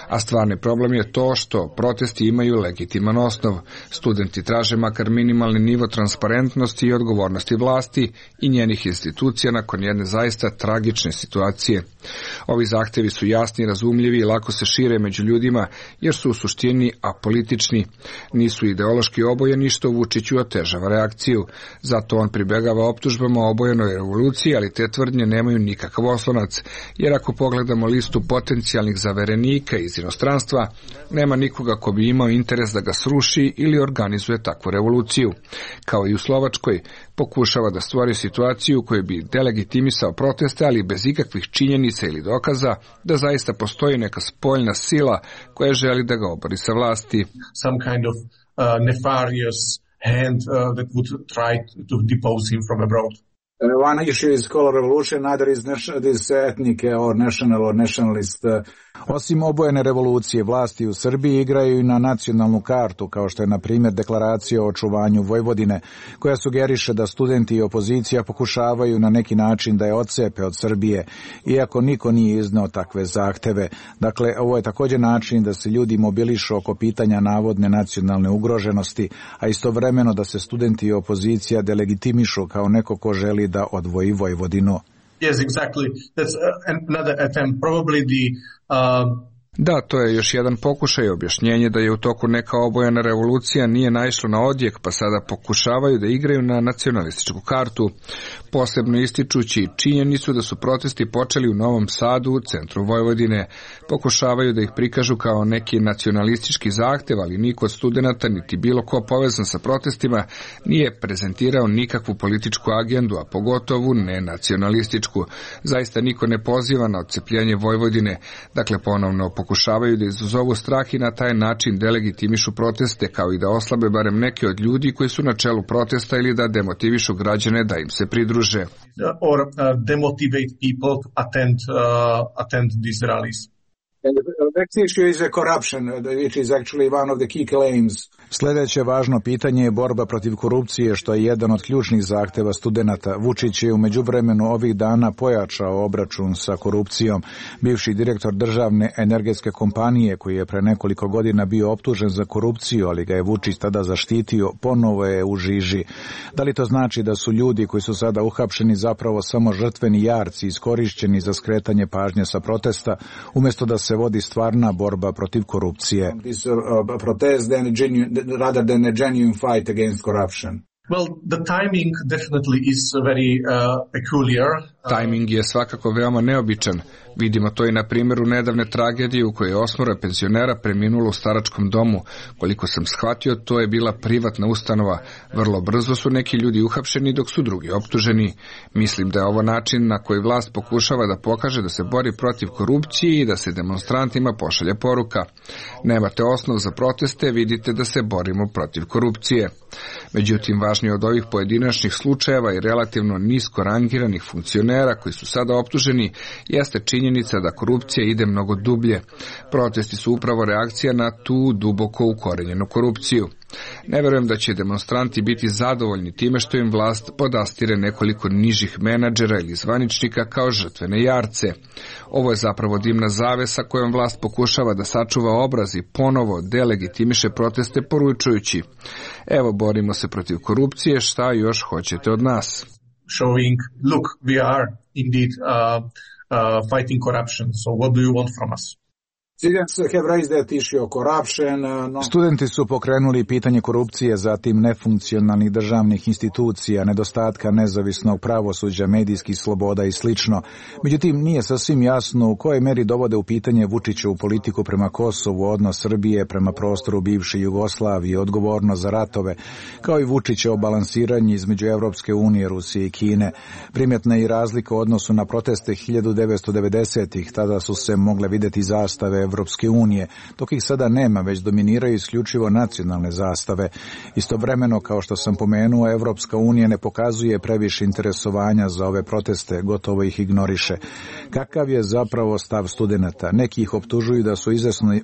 A stvarni problem je to što protesti imaju legitiman osnov. Studenti traže makar minimalni nivo transparentnosti i odgovornosti vlasti i njenih institucija nakon jedne zaista tragične situacije. Ovi zahtevi su jasni, razumljivi i lako se šire među ljudima jer su u suštini apolitični. Nisu ideološki obojeni što Vučiću otežava reakciju. Zato on pribegava optužbama o obojenoj revoluciji, ali te tvrdnje nemaju nikakav oslonac, jer ako pogledamo listu potencijalnih zaverenika iz inostranstva, nema nikoga ko bi imao interes da ga sruši ili organizuje takvu revoluciju. Kao i u Slovačkoj, pokušava da stvori situaciju u kojoj bi delegitimisao proteste, ali bez ikakvih činjenica ili dokaza da zaista postoji neka spoljna sila koja želi da ga obori sa vlasti. Some kind of uh, nefarious hand uh, that would try to depose him from abroad. One issue is color revolution, another is this ethnic or national or nationalist. Osim obojene revolucije, vlasti u Srbiji igraju i na nacionalnu kartu, kao što je na primjer deklaracija o očuvanju Vojvodine, koja sugeriše da studenti i opozicija pokušavaju na neki način da je odcepe od Srbije, iako niko nije izneo takve zahteve. Dakle, ovo je također način da se ljudi mobilišu oko pitanja navodne nacionalne ugroženosti, a istovremeno da se studenti i opozicija delegitimišu kao neko ko želi da odvoji Vojvodinu. Yes, exactly. That's another attempt. Probably the uh, Da, to je još jedan pokušaj objašnjenje da je u toku neka obojena revolucija nije naišlo na odjek, pa sada pokušavaju da igraju na nacionalističku kartu, posebno ističući činjenicu da su protesti počeli u Novom Sadu, u centru Vojvodine. Pokušavaju da ih prikažu kao neki nacionalistički zahtev, ali niko od studenata niti bilo ko povezan sa protestima nije prezentirao nikakvu političku agendu, a pogotovo ne nacionalističku. Zaista niko ne poziva na odcepljenje Vojvodine, dakle ponovno pokušavaju da izazovu strah i na taj način delegitimišu proteste, kao i da oslabe barem neke od ljudi koji su na čelu protesta ili da demotivišu građane da im se pridruže. Or uh, demotivate people to attend, uh, attend these rallies. And the next issue is corruption, which is actually one of the key claims. Sljedeće važno pitanje je borba protiv korupcije, što je jedan od ključnih zahteva studenata. Vučić je u međuvremenu ovih dana pojačao obračun sa korupcijom. Bivši direktor državne energetske kompanije, koji je pre nekoliko godina bio optužen za korupciju, ali ga je Vučić tada zaštitio, ponovo je u žiži. Da li to znači da su ljudi koji su sada uhapšeni zapravo samo žrtveni jarci, iskorišćeni za skretanje pažnje sa protesta, umjesto da se vodi stvarna borba protiv korupcije? This uh, protest then genuine, rather than a genuine fight against corruption. Well, the timing definitely is very uh, peculiar. Timing je svakako veoma neobičan. Vidimo to i na primjeru nedavne tragedije u kojoj je osmoro penzionera preminulo u staračkom domu. Koliko sam shvatio, to je bila privatna ustanova. Vrlo brzo su neki ljudi uhapšeni dok su drugi optuženi. Mislim da je ovo način na koji vlast pokušava da pokaže da se bori protiv korupcije i da se demonstrantima pošalje poruka. Nemate osnov za proteste, vidite da se borimo protiv korupcije. Međutim, važnije od ovih pojedinačnih slučajeva i relativno nisko rangiranih funkcionera koji su sada optuženi jeste činjenica da korupcija ide mnogo dublje. Protesti su upravo reakcija na tu duboko ukorenjenu korupciju. Ne verujem da će demonstranti biti zadovoljni time što im vlast podastire nekoliko nižih menadžera ili zvaničnika kao žrtvene jarce. Ovo je zapravo dimna zavesa kojom vlast pokušava da sačuva obraz i ponovo delegitimiše proteste poručujući: evo, borimo se protiv korupcije, šta još hoćete od nas? Showing, look, we are indeed uh, uh, fighting corruption, so what do you want from us? Studenti su pokrenuli pitanje korupcije, zatim nefunkcionalnih državnih institucija, nedostatka nezavisnog pravosuđa, medijskih sloboda i slično. Međutim, nije sasvim jasno u kojoj meri dovode u pitanje Vučićevu politiku prema Kosovu, odnos Srbije prema prostoru bivše Jugoslavije, odgovornost za ratove, kao i Vučićevo balansiranje između Evropske unije, Rusije i Kine. Primjetna je i razlika u odnosu na proteste hiljadu devetsto devedesetih, tada su se mogle vidjeti zastave Evropske unije, dok ih sada nema, već dominiraju isključivo nacionalne zastave. Istovremeno, kao što sam pomenuo, Evropska unija ne pokazuje previše interesovanja za ove proteste, gotovo ih ignoriše. Kakav je zapravo stav studenata? Neki ih optužuju da su izvesno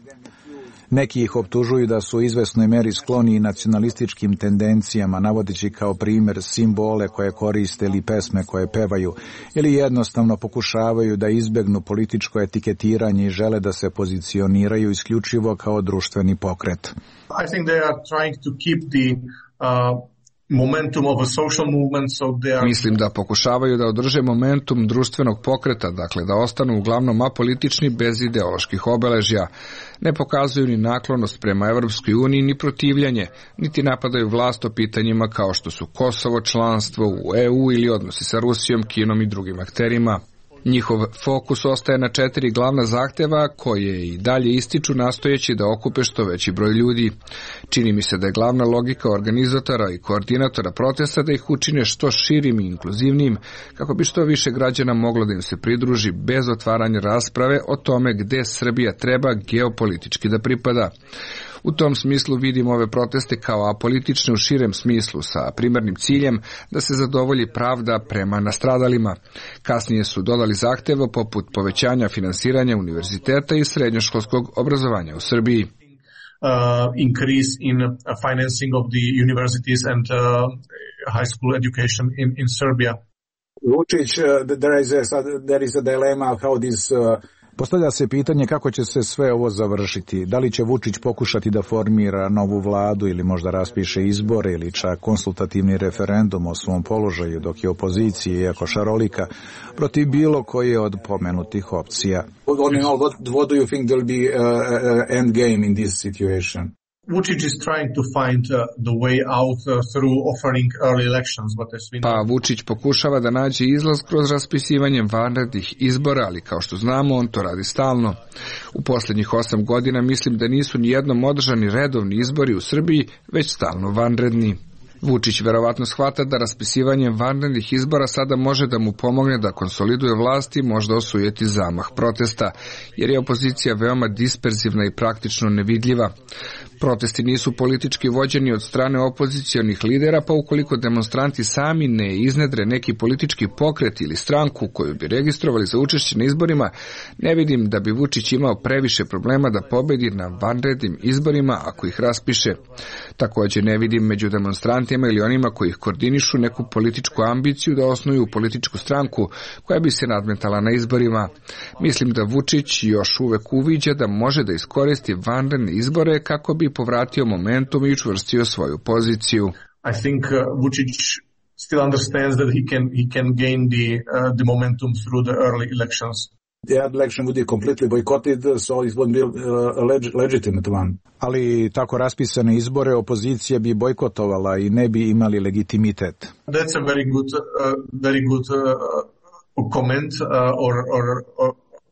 Neki ih optužuju da su u izvesnoj meri skloni i nacionalističkim tendencijama, navodeći kao primjer simbole koje koriste ili pesme koje pevaju, ili jednostavno pokušavaju da izbegnu političko etiketiranje i žele da se pozicioniraju isključivo kao društveni pokret. I think they are trying to keep the uh... momentum of a social movement, so they are... Mislim da pokušavaju da održe momentum društvenog pokreta, dakle da ostanu uglavnom apolitični bez ideoloških obeležja. Ne pokazuju ni naklonost prema Evropskoj uniji, ni protivljanje, niti napadaju vlast o pitanjima kao što su Kosovo, članstvo u E U ili odnosi sa Rusijom, Kinom i drugim akterima. Njihov fokus ostaje na četiri glavna zahteva koje i dalje ističu nastojeći da okupe što veći broj ljudi. Čini mi se da je glavna logika organizatora i koordinatora protesta da ih učine što širim i inkluzivnim, kako bi što više građana moglo da im se pridruži bez otvaranja rasprave o tome gde Srbija treba geopolitički da pripada. U tom smislu vidim ove proteste kao apolitične u širem smislu sa primarnim ciljem da se zadovolji pravda prema nastradalima. Kasnije su dodali zahteva poput povećanja finansiranja univerziteta i srednjoškolskog obrazovanja u Srbiji. Uh, increase in uh, financing of the universities and uh, high school education in, in Serbia. Vučić, uh, there is a, there is a dilemma how this uh... Postavlja se pitanje kako će se sve ovo završiti. Da li će Vučić pokušati da formira novu vladu ili možda raspiše izbore ili čak konsultativni referendum o svom položaju, dok je opozicija, iako šarolika, protiv bilo koje od pomenutih opcija. What, what do you think will be uh, uh, end game in this situation? Vučić is trying to find uh, the way out uh, through offering early elections, but as we know... Pa Vučić pokušava da nađe izlaz kroz raspisivanje vanrednih izbora, ali kao što znamo, on to radi stalno. U posljednjih osam godina mislim da nisu ni jednom održani redovni izbori u Srbiji, već stalno vanredni. Vučić verovatno shvata da raspisivanje vanrednih izbora sada može da mu pomogne da konsoliduje vlast i možda osujeti zamah protesta, jer je opozicija veoma disperzivna i praktično nevidljiva. Protesti nisu politički vođeni od strane opozicionih lidera, pa ukoliko demonstranti sami ne iznedre neki politički pokret ili stranku koju bi registrovali za učešće na izborima, ne vidim da bi Vučić imao previše problema da pobedi na vanrednim izborima ako ih raspiše. Također ne vidim među demonstrantima ili onima koji ih koordinišu neku političku ambiciju da osnuju političku stranku koja bi se nadmetala na izborima. Mislim da Vučić još uvek uviđa da može da iskoristi vanredne izbore kako bi povratio momentum i učvrstio svoju poziciju. I think uh, Vučić still understands that he can he can gain the uh, the momentum through the early elections. The election would be completely boycotted, so it wouldn't be a leg- legitimate one. Ali tako raspisane izbore opozicija bi bojkotovala i ne bi imali legitimitet. That's a very good uh, very good uh, comment uh, or or or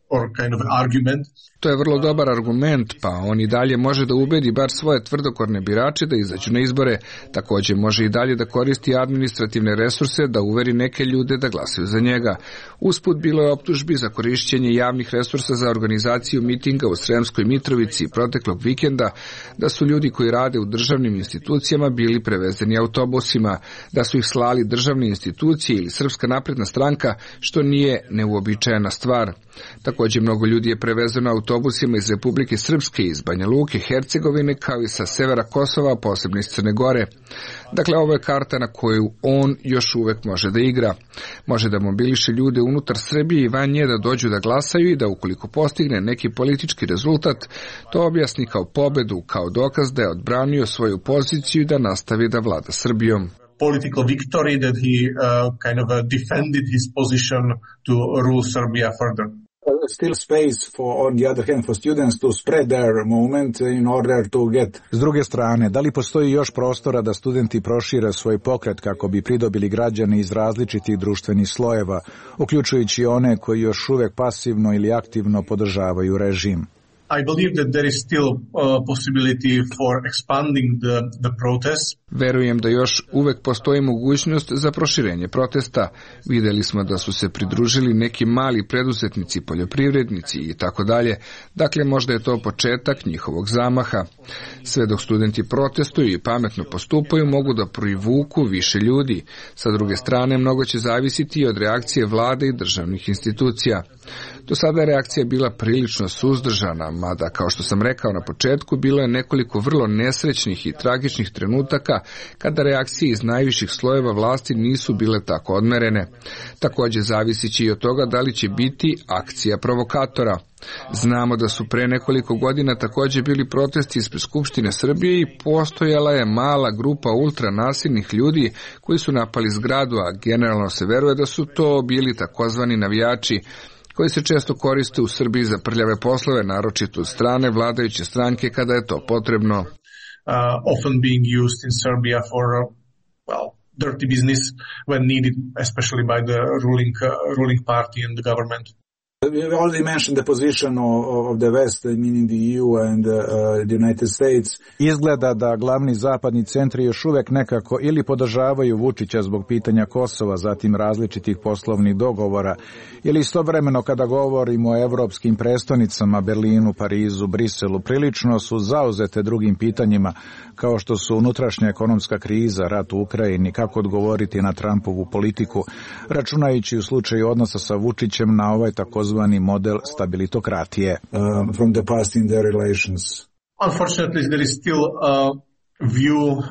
or kind of argument. To je vrlo dobar argument, pa on i dalje može da ubedi bar svoje tvrdokorne birače da izađu na izbore. Također može i dalje da koristi administrativne resurse da uveri neke ljude da glasaju za njega. Usput bilo je optužbi za korišćenje javnih resursa za organizaciju mitinga u Sremskoj Mitrovici proteklog vikenda, da su ljudi koji rade u državnim institucijama bili prevezeni autobusima, da su ih slali državne institucije ili Srpska napredna stranka, što nije neuobičajena stvar. Također mnogo ljudi je prevezeno autobusima iz Republike Srpske, iz Banja Luke, Hercegovine, kao i sa severa Kosova, posebno iz Crne Gore. Dakle, ovo je karta na koju on još uvek može da igra. Može da mobiliše ljude unutar Srbije i van nje da dođu da glasaju i da ukoliko postigne neki politički rezultat, to objasni kao pobedu, kao dokaz da je odbranio svoju poziciju i da nastavi da vlada Srbijom. Political victory that he uh, kind of uh, defended his position to rule Serbia further. Still space for, on the other hand, for students to spread their movement in order to get. S druge strane, da li postoji još prostora da studenti prošire svoj pokret kako bi pridobili građane iz različitih društvenih slojeva, uključujući one koji još uvek pasivno ili aktivno podržavaju režim? I believe that there is still a possibility for expanding the, the protests. Verujem da još uvek postoji mogućnost za proširenje protesta. Videli smo da su se pridružili neki mali preduzetnici, poljoprivrednici i tako dalje. Dakle, možda je to početak njihovog zamaha. Sve dok studenti protestuju i pametno postupaju, mogu da privuku više ljudi. Sa druge strane, mnogo će zavisiti i od reakcije vlade i državnih institucija. Do sada je reakcija bila prilično suzdržana, mada, kao što sam rekao na početku, bilo je nekoliko vrlo nesrećnih i tragičnih trenutaka kada reakcije iz najviših slojeva vlasti nisu bile tako odmerene. Također zavisići i od toga da li će biti akcija provokatora. Znamo da su pre nekoliko godina također bili protesti ispred Skupštine Srbije i postojala je mala grupa ultranasilnih ljudi koji su napali zgradu, a generalno se veruje da su to bili takozvani navijači, koji se često koriste u Srbiji za prljave poslove, naročito od strane vladajuće stranke kada je to potrebno. Uh, often being used in Serbia for, uh, well, dirty business when needed, especially by the ruling, uh, ruling party and the government. You already mentioned the position of the West, meaning the E U and the United States. Izgleda da glavni zapadni centri još uvek nekako ili podržavaju Vučića zbog pitanja Kosova, zatim različitih poslovnih dogovora, ili istovremeno kada govorimo o evropskim prestonicama, Berlinu, Parizu, Briselu, prilično su zauzete drugim pitanjima, kao što su unutrašnja ekonomska kriza, rat u Ukrajini, kako odgovoriti na Trumpovu politiku, računajući u slučaju odnosa sa Vučićem na ovaj takozvani model stabilitokratije. Uh, from the past in their relations. Unfortunately, there is still a view uh,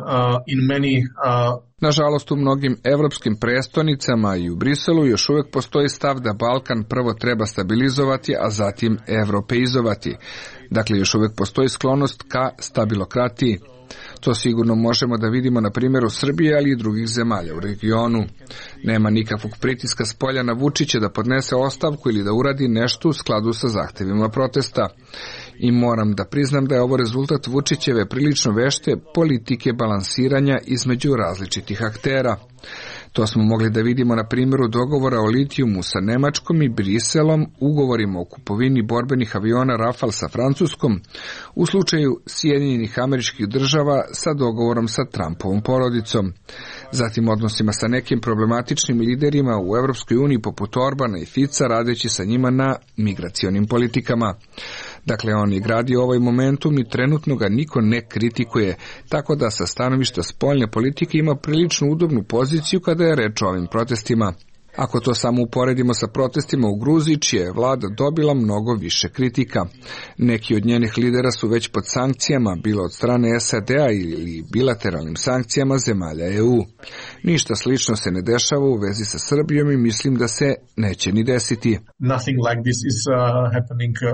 in many uh, Nažalost, u mnogim evropskim prestonicama i u Briselu još uvijek postoji stav da Balkan prvo treba stabilizovati, a zatim evropeizovati. Dakle, još uvijek postoji sklonost ka stabilokratiji. To sigurno možemo da vidimo na primjeru Srbije, ali i drugih zemalja u regionu. Nema nikakvog pritiska s polja na Vučića da podnese ostavku ili da uradi nešto u skladu sa zahtevima protesta. I moram da priznam da je ovo rezultat Vučićeve prilično vešte politike balansiranja između različitih aktera. To smo mogli da vidimo na primjeru dogovora o litijumu sa Nemačkom i Briselom, ugovorima o kupovini borbenih aviona Rafale sa Francuskom, u slučaju Sjedinjenih Američkih Država sa dogovorom sa Trumpovom porodicom. Zatim odnosima sa nekim problematičnim liderima u Evropskoj uniji poput Orbana i Fica, radeći sa njima na migracionim politikama. Dakle, on je gradio ovaj momentum i trenutno ga niko ne kritikuje, tako da sa stanovišta spoljne politike ima prilično udobnu poziciju kada je reč o ovim protestima. Ako to samo uporedimo sa protestima u Gruziji, čija je vlada dobila mnogo više kritika. Neki od njenih lidera su već pod sankcijama, bilo od strane S A D-a ili bilateralnim sankcijama zemalja E U. Ništa slično se ne dešava u vezi sa Srbijom i mislim da se neće ni desiti. Nothing like this is uh, happening uh,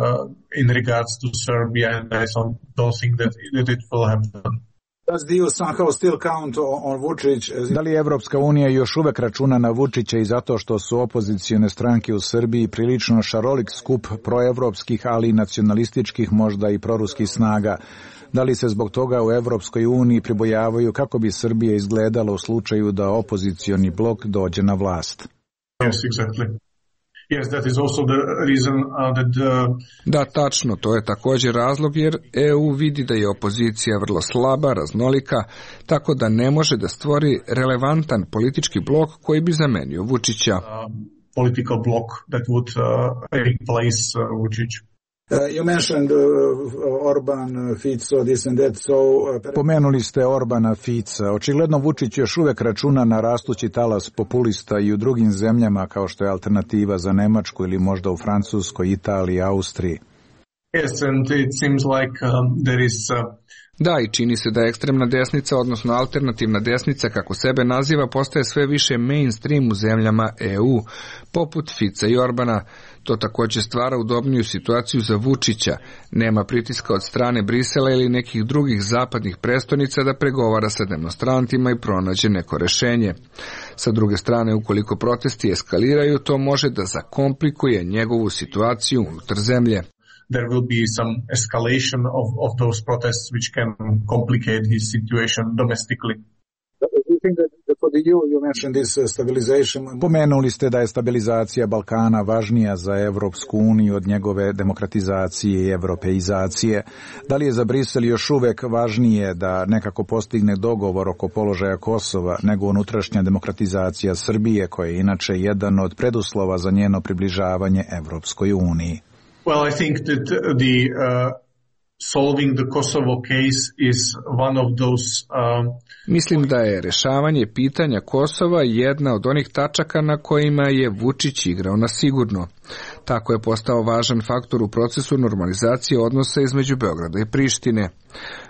in regards to Serbia, and I don't, don't think that, that it will happen. Da li Evropska unija još uvek računa na Vučića i zato što su opozicione stranke u Srbiji prilično šarolik skup proevropskih, ali i nacionalističkih, možda i proruskih snaga? Da li se zbog toga u Evropskoj uniji pribojavaju kako bi Srbija izgledala u slučaju da opozicioni blok dođe na vlast? Yes, exactly. Yes, that is also the reason uh, that uh... Da, tačno, to je također razlog jer E U vidi da je opozicija vrlo slaba, raznolika, tako da ne može da stvori relevantan politički blok koji bi zamenio Vučića. Uh, political block that would uh, replace uh, Vučić. Uh, you mentioned uh, Orban, Fico, this and that, so... Uh, Pomenuli ste Orbana, Fica. Očigledno Vučić još uvek računa na rastući talas populista i u drugim zemljama kao što je alternativa za Nemačku ili možda u Francuskoj, Italiji, Austriji. Yes, and it seems like um, there is... Uh... Da, i čini se da ekstremna desnica, odnosno alternativna desnica, kako sebe naziva, postaje sve više mainstream u zemljama E U, poput Fica i Orbana. To također stvara udobniju situaciju za Vučića. Nema pritiska od strane Brisela ili nekih drugih zapadnih prestonica da pregovara sa demonstrantima i pronađe neko rešenje. Sa druge strane, ukoliko protesti eskaliraju, to može da zakomplikuje njegovu situaciju unutar zemlje. There will be some escalation of, of those protests which can complicate his situation domestically. Pomenuli ste da je stabilizacija Balkana važnija za Evropsku uniju od njegove demokratizacije i evropeizacije. Da li je za Brisel još uvek važnije da nekako postigne dogovor oko položaja Kosova nego unutrašnja demokratizacija Srbije, koja je inače jedan od preduslova za njeno približavanje Evropskoj uniji? Well, I think that the uh, solving the Kosovo case is one of those um, Mislim da je rešavanje pitanja Kosova jedna od onih tačaka na kojima je Vučić igrao na sigurno. Tako je postao važan faktor u procesu normalizacije odnosa između Beograda i Prištine.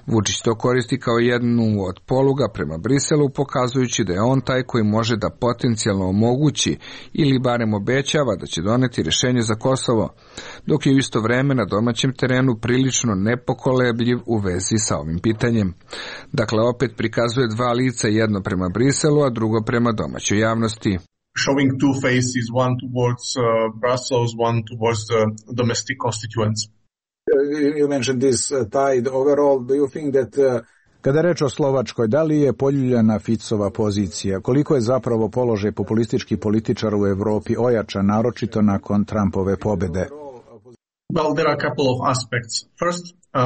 Vučić to koristi kao jednu od poluga prema Briselu, pokazujući da je on taj koji može da potencijalno omogući ili barem obećava da će doneti rešenje za Kosovo, dok je u isto vreme na domaćem terenu prilično nepokolebljiv u vezi sa ovim pitanjem. Dakle, opet prikazuje dva lica, jedno prema Briselu, a drugo prema domaćoj javnosti. Showing two faces, one towards uh, Brussels, one towards the domestic constituents. You mentioned this uh, tide overall. Do you think that uh, kada je reč o Slovačkoj, da li je poljuljana Ficova pozicija? Koliko je zapravo položaj populističkih političara u Evropi ojačan, naročito nakon Trumpove pobede? Well, there are a couple of aspects. First, uh,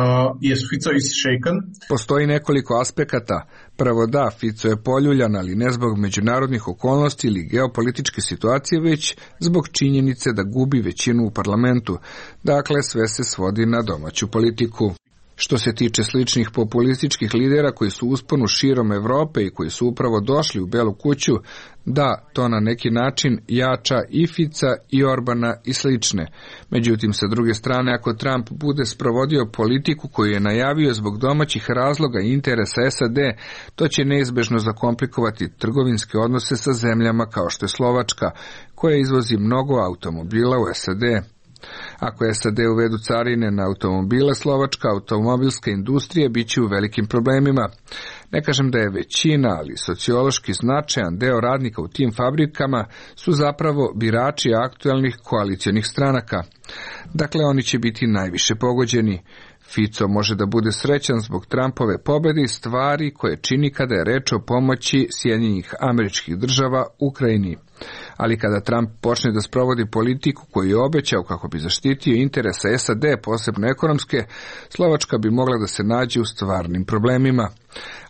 yes, Fico is shaken. Postoji nekoliko aspekata. Prvo da, Fico je poljuljan, ali ne zbog međunarodnih okolnosti ili geopolitičke situacije, već zbog činjenice da gubi većinu u parlamentu. Dakle, sve se svodi na domaću politiku. Što se tiče sličnih populističkih lidera koji su u usponu širom Evrope i koji su upravo došli u Belu kuću, da, to na neki način jača i Fica i Orbana i slične. Međutim, sa druge strane, ako Trump bude sprovodio politiku koju je najavio zbog domaćih razloga i interesa S A D, to će neizbežno zakomplikovati trgovinske odnose sa zemljama kao što je Slovačka, koja izvozi mnogo automobila u S A D. Ako S A D uvedu carine na automobile, slovačka automobilska industrija bit će u velikim problemima. Ne kažem da je većina, ali sociološki značajan deo radnika u tim fabrikama su zapravo birači aktualnih koalicionih stranaka. Dakle, oni će biti najviše pogođeni. Fico može da bude srećan zbog Trumpove pobjede i stvari koje čini kada je reč o pomoći Sjedinjenih Američkih Država Ukrajini. Ali kada Trump počne da sprovodi politiku koju je obećao kako bi zaštitio interese S A D, posebno ekonomske, Slovačka bi mogla da se nađe u stvarnim problemima,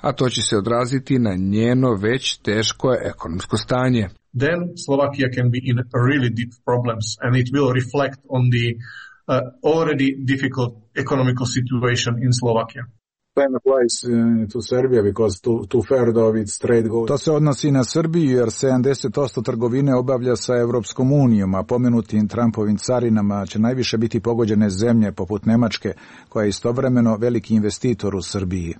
a to će se odraziti na njeno već teško ekonomsko stanje. Then Slovakia can be in really deep problems and it will reflect on the uh, already difficult economical situation in Slovakia. To se odnosi na Srbiju jer sedamdeset posto trgovine obavlja sa Evropskom unijom, a pomenutim Trumpovim carinama će najviše biti pogođene zemlje poput Nemačke, koja je istovremeno veliki investitor u Srbiji.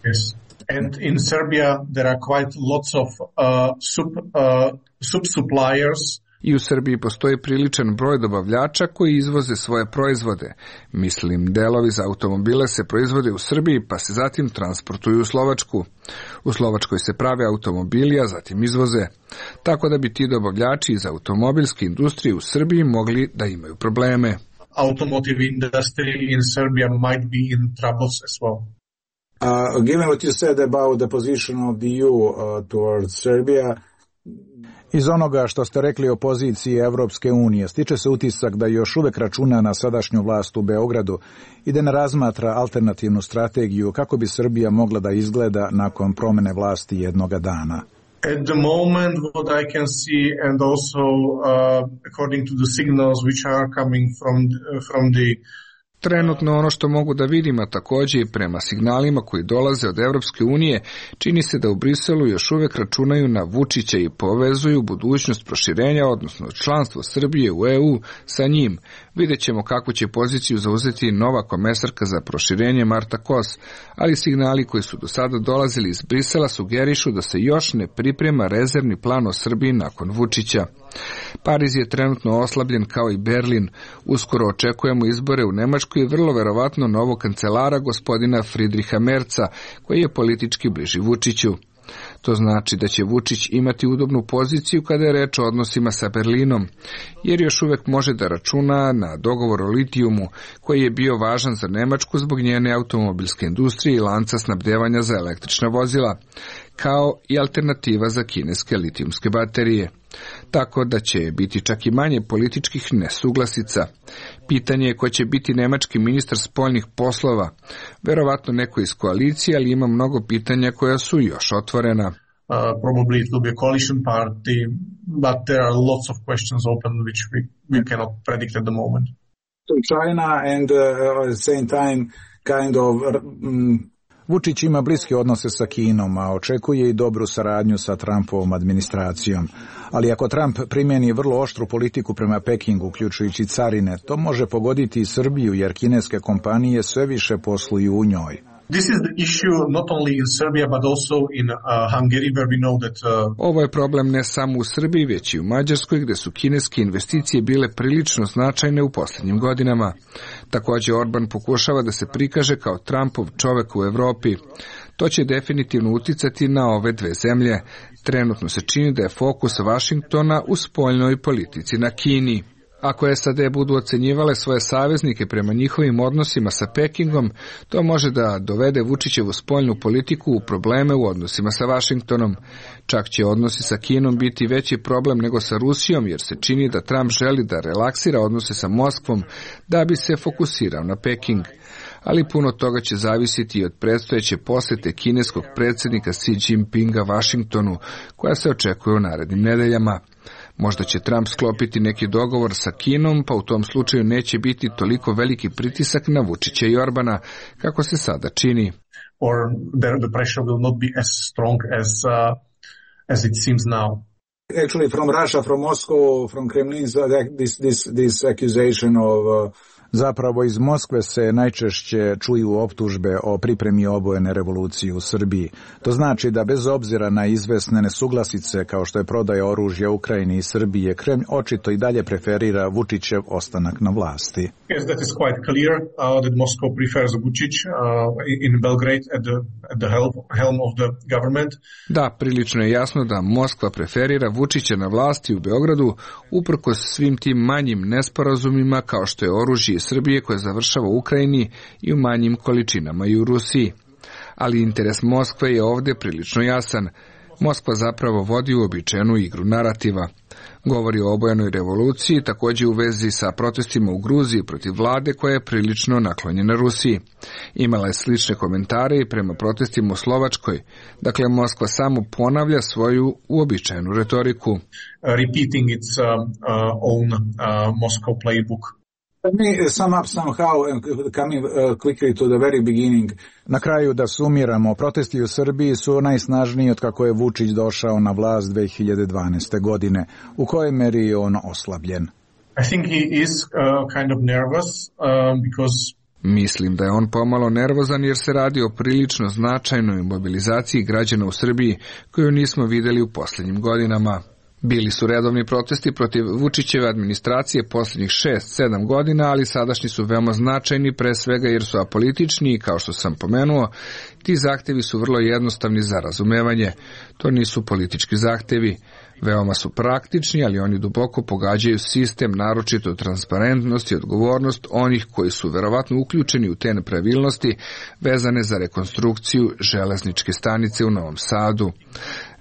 Yes. And in Serbia there are quite lots of uh, sub, uh, sub-suppliers. I u Srbiji postoji priličan broj dobavljača koji izvoze svoje proizvode. Mislim, delovi za automobile se proizvode u Srbiji pa se zatim transportuju u Slovačku. U Slovačkoj se prave automobili, a zatim izvoze. Tako da bi ti dobavljači iz automobilske industrije u Srbiji mogli da imaju probleme. Automotive industry in Serbia might be in troubles as well. Uh, given what you said about the position of the E U uh, towards Serbia, iz onoga što ste rekli o poziciji Evropske unije, stiče se utisak da još uvek računa na sadašnju vlast u Beogradu i da ne razmatra alternativnu strategiju kako bi Srbija mogla da izgleda nakon promene vlasti jednoga dana. At the moment, what I can see, and also uh, according to the signals which are coming from uh, from the Trenutno ono što mogu da vidim, a također i prema signalima koji dolaze od Evropske unije, čini se da u Briselu još uvek računaju na Vučića i povezuju budućnost proširenja, odnosno članstvo Srbije u E U sa njim. Vidjet ćemo kakvu će poziciju zauzeti nova komesarka za proširenje Marta Kos, ali signali koji su do sada dolazili iz Brisela sugerišu da se još ne priprema rezervni plan o Srbiji nakon Vučića. Pariz je trenutno oslabljen kao i Berlin. Uskoro očekujemo izbore u Nemačkoj i vrlo verovatno novog kancelara gospodina Friedricha Merca, koji je politički bliži Vučiću. To znači da će Vučić imati udobnu poziciju kada je reč o odnosima sa Berlinom, jer još uvek može da računa na dogovor o litijumu, koji je bio važan za Nemačku zbog njene automobilske industrije i lanca snabdevanja za električna vozila. kao i alternativa za kineske litijumske baterije. Tako da će biti čak i manje političkih nesuglasica. Pitanje je ko će biti nemački ministar spoljnih poslova. Verovatno neko iz koalicije, ali ima mnogo pitanja koja su još otvorena. Uh, probably it will be a coalition party, but there are lots of questions open which we, we cannot predict at the moment. China and uh, at the same time kind of um, Vučić ima bliske odnose sa Kinom, a očekuje i dobru saradnju sa Trumpovom administracijom. Ali ako Trump primjeni vrlo oštru politiku prema Pekingu, uključujući carine, to može pogoditi i Srbiju, jer kineske kompanije sve više posluju u njoj. This is the issue not only in Serbia but also in uh, Hungary where we know that uh... Ovo je problem ne samo u Srbiji, već i u Mađarskoj, gdje su kineske investicije bile prilično značajne u posljednjim godinama. Također Orban pokušava da se prikaže kao Trumpov čovek u Evropi. To će definitivno uticati na ove dve zemlje. Trenutno se čini da je fokus Vašingtona u spoljnoj politici na Kini. Ako S A D budu ocenjivale svoje saveznike prema njihovim odnosima sa Pekingom, to može da dovede Vučićevu spoljnu politiku u probleme u odnosima sa Vašingtonom. Čak će odnosi sa Kinom biti veći problem nego sa Rusijom, jer se čini da Trump želi da relaksira odnose sa Moskvom da bi se fokusirao na Peking. Ali puno toga će zavisiti i od predstojeće posjete kineskog predsjednika Xi Jinpinga Vašingtonu, koja se očekuje u narednim nedeljama. Možda će Trump sklopiti neki dogovor sa Kinom, pa u tom slučaju neće biti toliko veliki pritisak na Vučića i Orbana, kako se sada čini. Or the pressure will not be as strong as, uh, as it seems now. Actually, from Russia, from Moscow, from Kremlin, this, this, this accusation of... Uh... Zapravo iz Moskve se najčešće čuju optužbe o pripremi obojene revolucije u Srbiji. To znači da bez obzira na izvesne nesuglasice kao što je prodaja oružja Ukrajini i Srbije, Kremlj očito i dalje preferira Vučićev ostanak na vlasti. Yes, that is quite clear uh, that Moscow prefers Vučić uh, in Belgrade at the, at the helm, helm of the government. Da, prilično je jasno da Moskva preferira Vučića na vlasti u Beogradu uprkos svim tim manjim nesporazumima kao što je oružje Srbije koje završava u Ukrajini i u manjim količinama i u Rusiji. Ali interes Moskve je ovdje prilično jasan. Moskva zapravo vodi uobičajenu igru narativa. Govori o obojenoj revoluciji, također u vezi sa protestima u Gruziji protiv vlade koja je prilično naklonjena Rusiji. Imala je slične komentare i prema protestima u Slovačkoj. Dakle, Moskva samo ponavlja svoju uobičajenu retoriku. Uh, repeating its uh, uh, own uh, Moscow playbook. Let me sum up somehow and coming uh, quickly to the very beginning. Na kraju da sumiramo, protesti u Srbiji su najsnažniji od kako je Vučić došao na vlast dve hiljade dvanaeste. godine. U kojoj meri je on oslabljen? I think he is uh, kind of nervous uh, because Mislim da je on pomalo nervozan jer se radi o prilično značajnoj mobilizaciji građana u Srbiji koju nismo vidjeli u posljednjim godinama. Bili su redovni protesti protiv Vučićeve administracije posljednjih šest sedam godina, ali sadašnji su veoma značajni, pre svega jer su apolitični i, kao što sam pomenuo, ti zahtevi su vrlo jednostavni za razumevanje. To nisu politički zahtevi. Veoma su praktični, ali oni duboko pogađaju sistem, naročito transparentnost i odgovornost onih koji su verovatno uključeni u te nepravilnosti vezane za rekonstrukciju železničke stanice u Novom Sadu.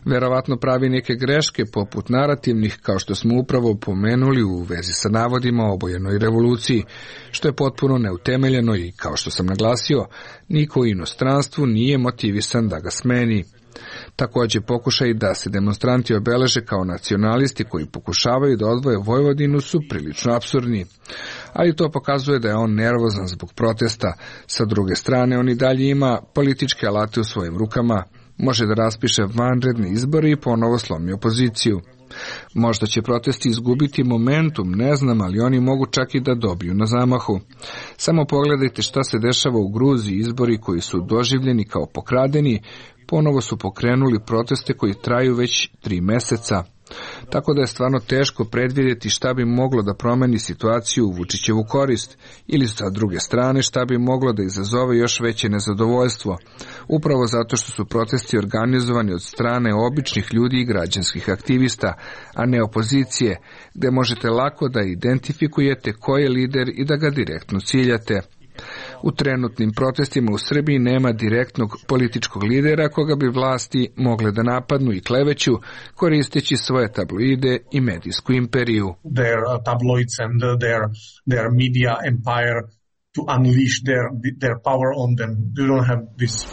Verovatno pravi neke greške poput narativnih, kao što smo upravo pomenuli u vezi sa navodima o obojenoj revoluciji, što je potpuno neutemeljeno i, kao što sam naglasio, niko u inostranstvu nije motivisan da ga smeni. Također pokušaj da se demonstranti obeleže kao nacionalisti koji pokušavaju da odvoje Vojvodinu su prilično apsurdni. Ali to pokazuje da je on nervozan zbog protesta. Sa druge strane, on i dalje ima političke alate u svojim rukama. Može da raspiše vanredne izbore i ponovo slomi opoziciju. Možda će protesti izgubiti momentum, ne znam, ali oni mogu čak i da dobiju na zamahu. Samo pogledajte šta se dešava u Gruziji, izbori koji su doživljeni kao pokradeni, ponovo su pokrenuli proteste koji traju već tri meseca. Tako da je stvarno teško predvidjeti šta bi moglo da promeni situaciju u Vučićevu korist, ili sa druge strane šta bi moglo da izazove još veće nezadovoljstvo, upravo zato što su protesti organizovani od strane običnih ljudi i građanskih aktivista, a ne opozicije, gde možete lako da identifikujete ko je lider i da ga direktno ciljate. U trenutnim protestima u Srbiji nema direktnog političkog lidera koga bi vlasti mogle da napadnu i kleveću koristeći svoje tabloide i medijsku imperiju. Their uh, tabloids and uh, their their media empire to unleash their their power on them. You don't have this.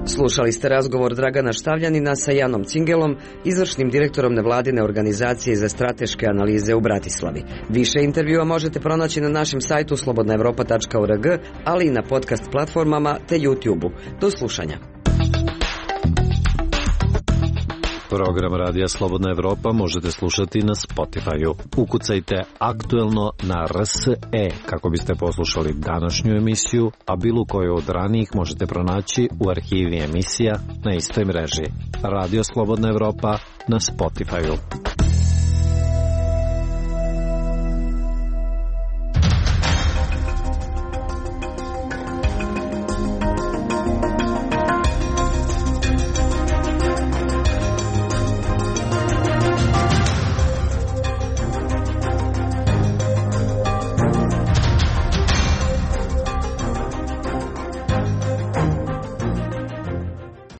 Slušali ste razgovor Dragana Štavljanina sa Janom Cingelom, izvršnim direktorom nevladine organizacije za strateške analize u Bratislavi. Više intervjua možete pronaći na našem sajtu slobodna evropa tačka org, ali i na podcast platformama te YouTube-u. Do slušanja. Program Radija Slobodna Evropa možete slušati na Spotify-u. Ukucajte aktuelno na R S E kako biste poslušali današnju emisiju, a bilo koju od ranijih možete pronaći u arhivi emisija na istoj mreži. Radio Slobodna Evropa na Spotify-u.